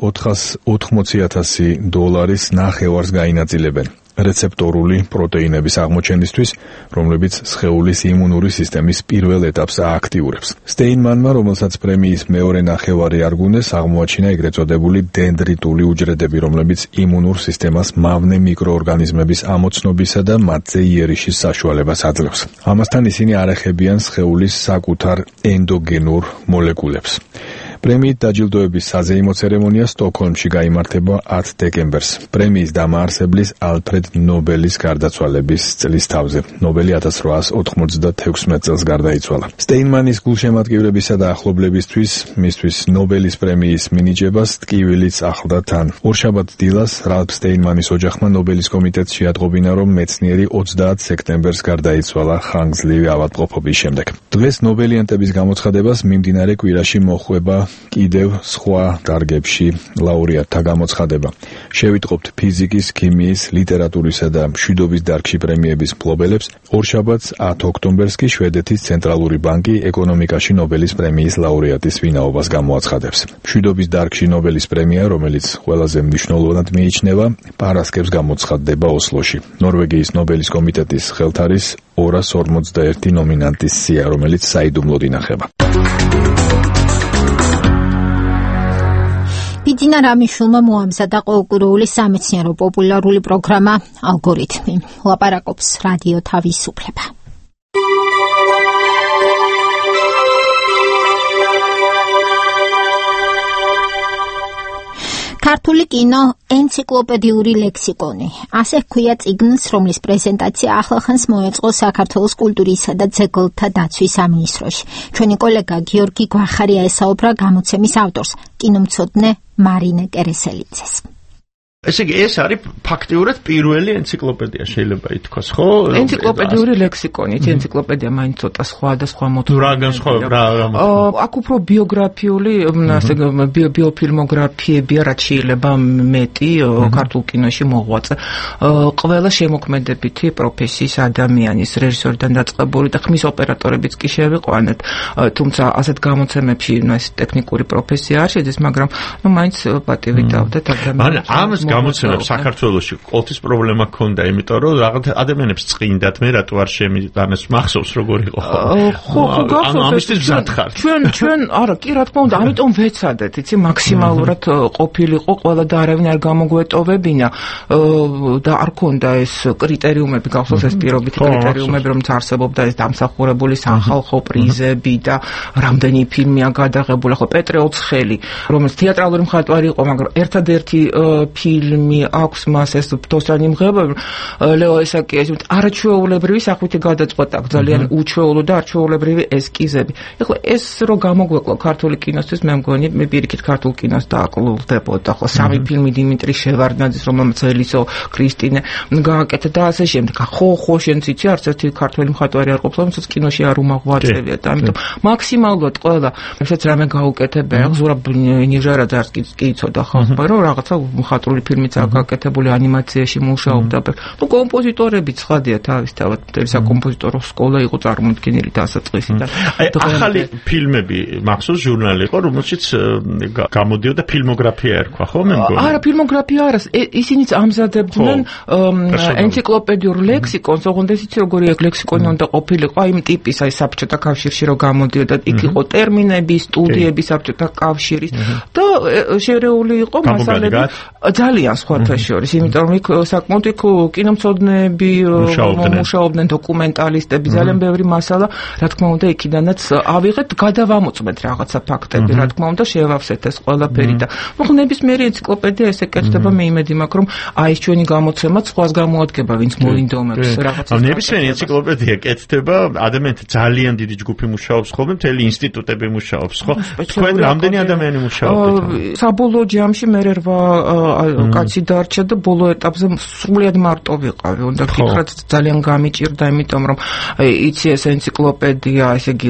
Speaker 11: ოთხმოცი ათასი დოლარის ნახევარს გაინაწილებენ რეცეპტორული პროტეინების აღმოჩენისთვის, რომლებიც სხეულის იმუნური სისტემის პირველ ეტაპს ააქტიურებს. სტეინმანმა, რომელსაც პრემიის მეორე ნახევარი არგუნეს, აღმოაჩინა ეგრეთ წოდებული დენდრიტული უჯრედები, რომლებიც იმუნურ სისტემას მავნე მიკროორგანიზმების ამოცნობისა და მათზე იერიშის საშუალებას აძლევს. ამასთან ისინი არ ეხებიან სხეულის საკუთარ ენდოგენურ მოლეკულებს. პრემიით დაჯილდოების საზეიმო ცერემონია სტოკჰოლმში გაიმართება ათ დეკემბერს, პრემიის დამაარსებლის ალფრედ ნობელის გარდაცვალების წლის თავზე. ნობელი ათას რვაას ოთხმოცდათექვსმეტ წელს გარდაიცვალა. სტეინმანის გულშემატკივრებისა და ახლობლებისთვის, მისთვის ნობელის პრემიის მინიჭებას ტკივილიც ახლდა თან. ორშაბათ დილას რალფ სტეინმანის ოჯახმა ნობელის კომიტეტს შეატყობინა, რომ მეცნიერი ოცდაათ სექტემბერს გარდაიცვალა ხანგრძლივი ავადმყოფობის შემდეგ. დღეს ნობელიანტების გამოცხადებას მიმდინარე კვირაში მოხვება კიდევ სხვა დარგებში ლაურეატთა გამოცხადება. შევიტყობთ ფიზიკის, ქიმიის, ლიტერატურისა და მშვიდობის დარგში პრემიების მფლობელებს. ორშაბათს ათ ოქტომბერს კი შვედეთის ცენტრალური ბანკი ეკონომიკაში ნობელის პრემიის ლაურეატის ვინაობას გამოაცხადებს. მშვიდობის დარგში ნობელის პრემია, რომელიც ყველაზე მნიშვნელოვნად მიიჩნევა, პარასკევს გამოცხადდება ოსლოში. ნორვეგიის ნობელის კომიტეტის ხელთ არის ორას ორმოცდაერთი ნომინანტის სია, რომელიც საიდუმლოდ ინახება.
Speaker 1: ბიძინა რამიშვილმა მოამზადა ყოველკვირეული სამეცნიერო პოპულარული პროგრამა ალგორითმი. ლაპარაკობს რადიო თავისუფლება. ქართული კინო ენციკლოპედიური ლექსიკონი. ასე ჰქვია წიგნს, რომლის პრეზენტაცია ახლახანს მოეწყო საქართველოს კულტურისა და ძეგლთა დაცვის სამინისტროში. ჩვენი კოლეგა გიორგი გვახარია ესაუბრა გამოცემის ავტორს, კინომცოდნე მარინე კერესელიძეს.
Speaker 13: ესე იგი, ეს არის ფაქტიურად პირველი ენციკლოპედია, შეიძლება ითქვას, ხო?
Speaker 7: ენციკლოპედიური ლექსიკონი, ენციკლოპედია მაინც ცოტა სხვა და სხვა მოთხოვნა.
Speaker 13: რა განსხვავება, რა
Speaker 7: რა. აქ უფრო ბიოგრაფიული, ასე ბიოფილმოგრაფიებია, რაც შეიძლება მეტი ქართულ კინოში მოღვაწე. ყველა შემოქმედებითი პროფესიის ადამიანის, რეჟისორიდან დაწყებული და ხმის ოპერატორებიც კი შევიყვანეთ. თუმცა ასეთ გამოცემებში ეს ტექნიკური პროფესია არ შედის, მაგრამ ნუ მაინც პატივი დავდეთ ადამიანებს.
Speaker 13: გამოცემებს საქართველოში ყოველთვის პრობლემა ქონდა, იმიტომ რომ რაღაც ადამიანებს წინდათ მე რატო არ შემიტანეს, მახსოვს როგორ იყო.
Speaker 7: ხო, ხო, გახსოვს. ჩვენ ჩვენ არა, კი რა თქმა უნდა, ამიტომ ვეცადეთ, იცი, მაქსიმალურად ყოფილიყო ყველა და არავინ არ გამოგვეტოვებინა და არ ქონდა ეს კრიტერიუმები, გახსოვს ეს პირობითი კრიტერიუმები, რომელიც არსებობდა, ეს დამსახურებული სახალხო პრიზები და რამდენი ფილმია გადაღებული. ხო, პეტრე ოცხელი, რომელიც თეატრალური მხატვარი იყო, მაგრამ ერთადერთი ფილმი აქვს მას ეს ფთოსანი მღებები, ლეო ესაკიას, არაჩვეულებრივი სახვითი გადაწყვეტა, ძალიან უჩვეულო და არჩვეულებრივი ესკიზები. ეხლა ეს რო გამოგვეკლო ქართული კინოსთვის, მე მგონი, მე პირიქით ქართულ კინოს დააკლოვდებოდა. ხო, სამი ფილმი დიმიტრი შევარდნაძის, რომელმაც ელისო კრისტინე გააკეთა და ასე შემდეგ. ხო, ხო, შენც იცი, არც ერთი ქართველი მხატვარი არ ყოფილა, რომელსაც კინოში არ უმოღვაწევია და ამიტომ მაქსიმალურად ყველა, რასაც რამე გაუკეთებია, ზურაბ ნიჟარაძე არც კი იცოდა ხო, მაგრამ რაღაცა მხატვრული ფილმიც აკეთებული ანიმაციაში მუშაობდა. ნუ კომპოზიტორები ცხადია თავისთავად, მთელი საკომპოზიტორო სკოლა იყო წარმოდგენილი დასაწყისიდან.
Speaker 13: აი ახალი ფილმები მახსოვს ჟურნალი იყო, რომელშიც გამოდიოდა ფილმოგრაფია ერქვა, ხო მე მგონი?
Speaker 7: არა, ფილმოგრაფია არა, ისინიც ამზადებდნენ ენციკლოპედიურ ლექსიკონს, ოღონდ ეს იცი როგორი ლექსიკონი უნდა ყოფილიყო, აი იმ ტიპის, აი საბჭოთა კავშირში რო გამოდიოდა, იქ იყო ტერმინები, სტუდიები საბჭოთა კავშირის და შერეული იყო მასალები ძალიან სხვათა შორის, იმიტომ რომ იქ საკმაოდ იქ კინომცოდნეები მუშაობდნენ, დოკუმენტალისტები, ძალიან ბევრი მასალა, რა თქმა უნდა, იქიდანაც ავიღეთ, გადავამოწმეთ რაღაცა ფაქტები, რა თქმა უნდა, შევავსეთ ეს ყველაფერი და ნუ ნებისმიერი ენციკლოპედია ესე კეთდება, მე იმედი მაქვს, რომ აი ჩვენი გამოცემაც სხვას გამოადგება, ვინც მოინდომებს რაღაცას.
Speaker 13: ნებისმიერი ენციკლოპედია კეთდება, ადამიანთა ძალიან დიდი ჯგუფი მუშაობს ხოლმე, მთელი ინსტიტუტები მუშაობს, ხო? თქვენ რამდენი ადამიანი მუშაობთ?
Speaker 7: საბოლოო ჯამში მე რვა კაცი დარჩა და ბოლო ეტაპზე სრულიად მარტო ვიყავი. უნდა გითხრათ ძალიან გამიჭირდა, იმიტომ რომ იცი ეს ენციკლოპედია, ესე იგი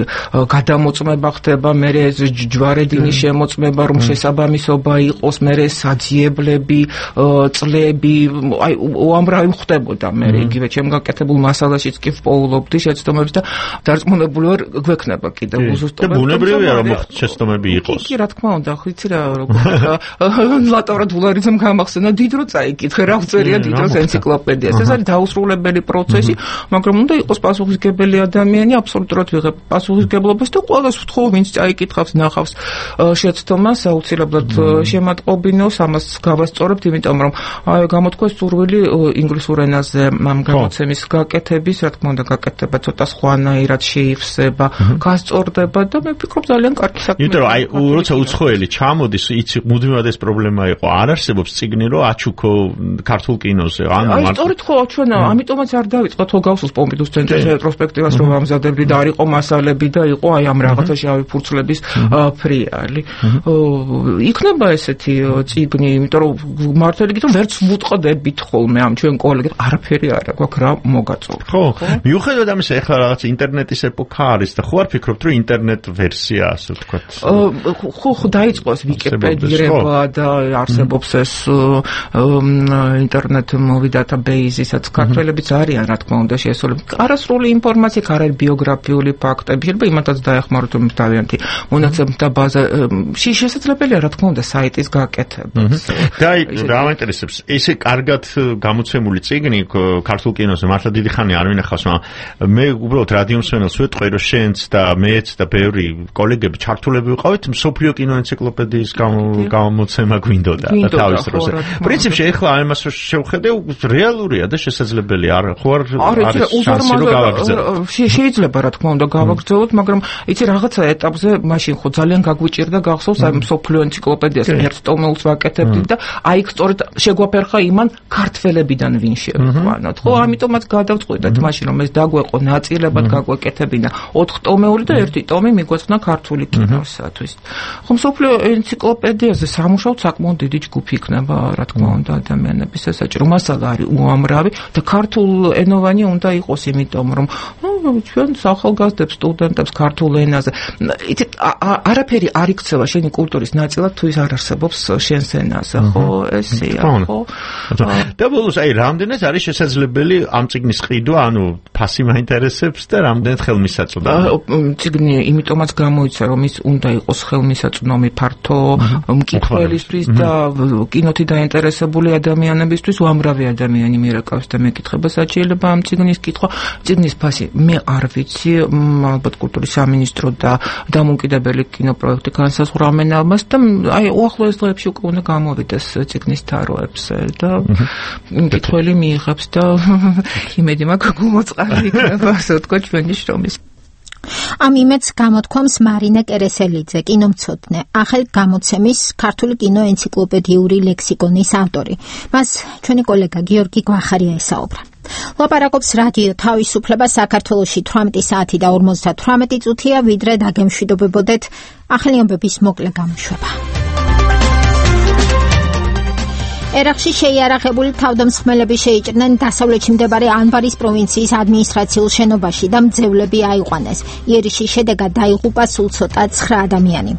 Speaker 7: გადამოწმება ხდება, მე ეს ჯვარედინის შემოწმება, რომ შესაბამისობა იყოს, მე ეს საძიებლები, წლები, აი უამრავი ხდებოდა მე იგივე ჩემ გაკეთებულ მასალაშიც კი ვპოულობდი შეცდომებს და დარწმუნებული ვარ გვექნება კიდევ უზუსტობა.
Speaker 13: და ბუნებრივია რომ შეცდომები იყოს.
Speaker 7: კი, რა თქმა უნდა, ხიცი რა როგორ ლაბორატორიამ გამახსენა დიდ რო წაიკითხე რა უწერია დიდ როს ენციკლოპედიას. ეს არის დაუსრულებელი პროცესი, მაგრამ უნდა იყოს პასუხისმგებელი ადამიანი, აბსოლუტურად ვიღებ პასუხისმგებლობას და ყველას ვთხოვ, ვინც წაიკითხავს, ნახავს შეცდომას, აუცილებლად შემატყობინოს, ამას გავასწორებთ, იმიტომ რომ გამოთქვეს სურვილი ინგლისურ ენაზე ამ გამოცემის გაკეთების, რა თქმა უნდა, გაკეთება ცოტა სხვანაირად შეივსება, გასწორდება და მე ვფიქრობ ძალიან კარგი საქმეა.
Speaker 13: იმიტომ რომ აი როცა უცხოელი ჩამოდის, იცი მუდმივად ეს პრობლემა იყო. არ არსებობს წიგნი, რომ აჩუქო ქართულ კინოზე. ანუ
Speaker 7: აი სწორედ ხო, ჩვენ ამიტომაც არ დავიწყოთ ხო გავსულს პომპიდუს ცენტრის რეტროსპექტივას რომ ამზადებდი და არ იყო მასალები და იყო აი ამ რაღაცა შავი ფურცლების ფრიალი. იქნება ესეთი წიგნი, იმიტომ რომ მართალი გითხრა ვერც ვუტყდებით ხოლმე ამ ჩვენ კოლეგებს, არაფერი არ აქვს რა მოგაწოვრ.
Speaker 13: ხო, მიუხედავად ამისა, ეხლა რაღაც ინტერნეტის ეპოქა არის და ხო არ ფიქრობთ, რომ ინტერნეტ ვერსია, ასე ვთქვათ.
Speaker 7: ხო, ხო დაიწყო ეს ვიკიპედირება და არსებობს ეს ინტერნეტ მოვი დატაბეიზისაც ქართველებიც არიან, რა თქმა უნდა, შეესრულებით. არასრული ინფორმაცია, არ არის ბიოგრაფიული ფაქტები, შეიძლება იმათაც დაეხმაროთ, რომ თავიანთი მონაცემთა ბაზა შესაძლებელია, რა თქმა უნდა, საიტის გაკეთება.
Speaker 13: და რა მაინტერესებს, ესე კარგად გამოცემული წიგნი ქართულ კინოზე მართლა დიდი ხანი არ ვინახავს, მაგრამ მე უბრალოდ რადიო მსმენელს ვეტყვი, რომ შენც და მეც და ბევრი კოლეგები ჩართულები ვიყავით მსოფლიო კინო ენციკლოპედიის გამოცემა გვინდოდა და თავის დროზე. პრინციპში ეხლა ამას შევხედე, რეალურია და შესაძლებელია, არ ხო არ არის შანსი რომ გავაგრძელოთ.
Speaker 7: შეიძლება რა თქმა უნდა გავაგრძელოთ, მაგრამ იცი რაღაცა ეტაპზე მაშინ ხო ძალიან გაგვიჭირდა გახსოვს აი მსოფლიო ენციკლოპედიას ერთ ტომეულს ვაკეთებდი და აი სწორედ შეგვაფერხა იმან ქართველებიდან ვინ შევიყვანოთ. ხო, ამიტომაც გადავწყვიტეთ მაშინ რომ ეს დაგვეყო ნაწილებად გაგვეკეთებინა ოთხ ტომეული და ერთი ტომი მიგვეცნა ქართული კინოსათვის. ხო, მსოფლიო ენციკლოპედიაზე სამუშაოდ საკმაოდ დიდი ჯგუფი იქნება, რა თქმა უნდა, ადამიანების სასაჭირო მასალა არის უამრავი და ქართულ ენოვანი უნდა იყოს, იმიტომ რომ ჩვენ ახალგაზრდებს, სტუდენტებს ქართულ ენაზე. იცით, არაფერი არ იქცევა შენი კულტურის ნაწილად, თუ ის არ არსებობს შენს ენაზე, ხო, ესეა, ხო.
Speaker 13: და ბოლოს აი რამდენად არის შესაძლებელი ამ წიგნის ყიდვა, ანუ ფასი მაინტერესებს და რამდენად ხელმისაწვდომი.
Speaker 7: წიგნი იმიტომაც გამოიცა, რომ ის უნდა იყოს ხელმისაწვდომი ფართო მკითხველისთვის და კინოთი დაინტერესებული ადამიანებისთვის, უამრავი ადამიანი მიერეკავს და მეკითხება საჭიროება ამ წიგნის კითხვა. წიგნის ფასი მე არ ვიცი, ალბათ კულტურის სამინისტრო და დამოუკიდებელი კინოპროექტი განსაზღვრავენ ამას და აი უახლოეს დღეებში უკვე უნდა გამოვიდეს წიგნის თაროებზე და მკითხველი მიიღებს და იმედი მაქვს გულმოწყალე იქნება, ასე ვთქვათ, ჩვენი შრომის.
Speaker 1: ამ იმედს გამოთქვამს მარინა კერესელიძე, კინომცოდნე, ახალ გამოცემის ქართული კინო ენციკლოპედიური ლექსიკონის ავტორი. მას ჩვენი კოლეგა გიორგი გვახარია ესაუბრა. ლაპარაკობს რადიო თავისუფლება საქართველოში თვრამეტი საათი და ორმოცდათვრამეტი წუთია, ვიდრე დაგემშვიდობებოდეთ ახალი ამბების მოკლე გამოშვება. ერაყში შეიარაღებული თავდამსხმელები შეიჭრნენ დასავლეთში მდებარე ანბარის პროვინციის ადმინისტრაციულ შენობაში და მძევლები აიყვანეს. იერიშის შედეგად დაიღუპა სულ ცოტა ცხრა ადამიანი.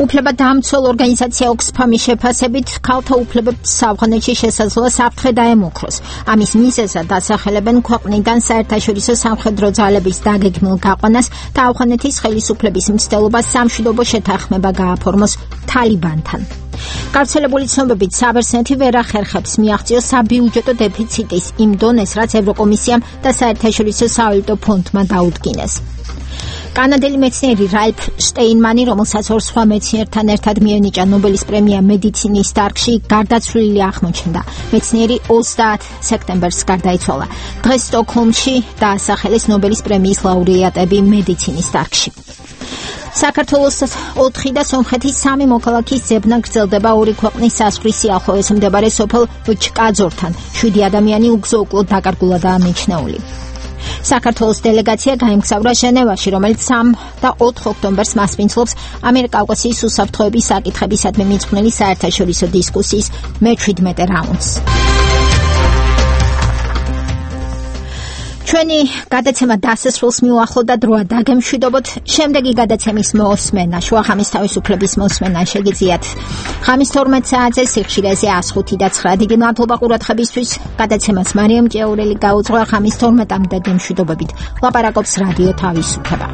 Speaker 1: უფლებადამცველ ორგანიზაცია ოქსფამის შეფასებით ქალთა უფლებებს საფრანგეთში შესაძლოა საფრთხე დაემუქროს. ამის მიზეზად დასახელებენ ქვეყნიდან საერთაშორისო სამხედრო ძალების დაგეგმილ გაყვანას და ავღანეთის ხელისუფლების მცდელობას სამშვიდობო შეთანხმება გააფორმოს თალიბანთან. გავრცელებული ცნობებით საბერძნეთი ვერ ახერხებს მიაღწიოს საბიუჯეტო დეფიციტის იმ დონეს, რაც ევროკომისიამ და საერთაშორისო სავალუტო ფონდმა დაუდგინეს. კანადელი მეცნიერი რალფ შტეინმანი, რომელსაც ორ სხვა მეცნიერთან ერთად მიენიჭა ნობელის პრემია მედიცინის დარგში, გარდაცვლილი აღმოჩნდა. მეცნიერი ოცდაათ სექტემბერს გარდაიცვალა. დღეს სტოკჰოლმში დაასახელეს ნობელის პრემიის ლაურეატები მედიცინის დარგში. საქართველოს ოთხი და სომხეთის სამი მოქალაქის ძებნა გრძელდება ორი ქვეყნის საზღვრის სიახლოვეს მდებარე სოფელ ჩკაძორთან. შვიდი ადამიანი უგზო-უკლოდ დაკარგულადაა მიჩნეული. საქართველოს დელეგაცია გაემგზავრა ჟენევაში, რომელიც სამ და ოთხ ოქტომბერს მასპინძლობს ამიერკავკასიის უსაფრთხოების საკითხებისადმი მიძღვნილი საერთაშორისო დისკუსიის მეჩვიდმეტე რაუნდს. ჩვენი გადაცემა დასასრულს მიუახლოვდა დროა დაგემშვიდობოთ. შემდეგი გადაცემის მოსმენა, შუახამის თავისუფლების მოსმენა შეგიძლიათ ხამის თორმეტ საათზე სიხშირეზე ას ხუთი და ცხრა. დიდი მადლობა ყურადღებისთვის. გადაცემას მარიამ ჭეურელი გაუძღვა. ხამის თორმეტამდე გემშვიდობებით. ლაპარაკობს რადიო თავისუფლება.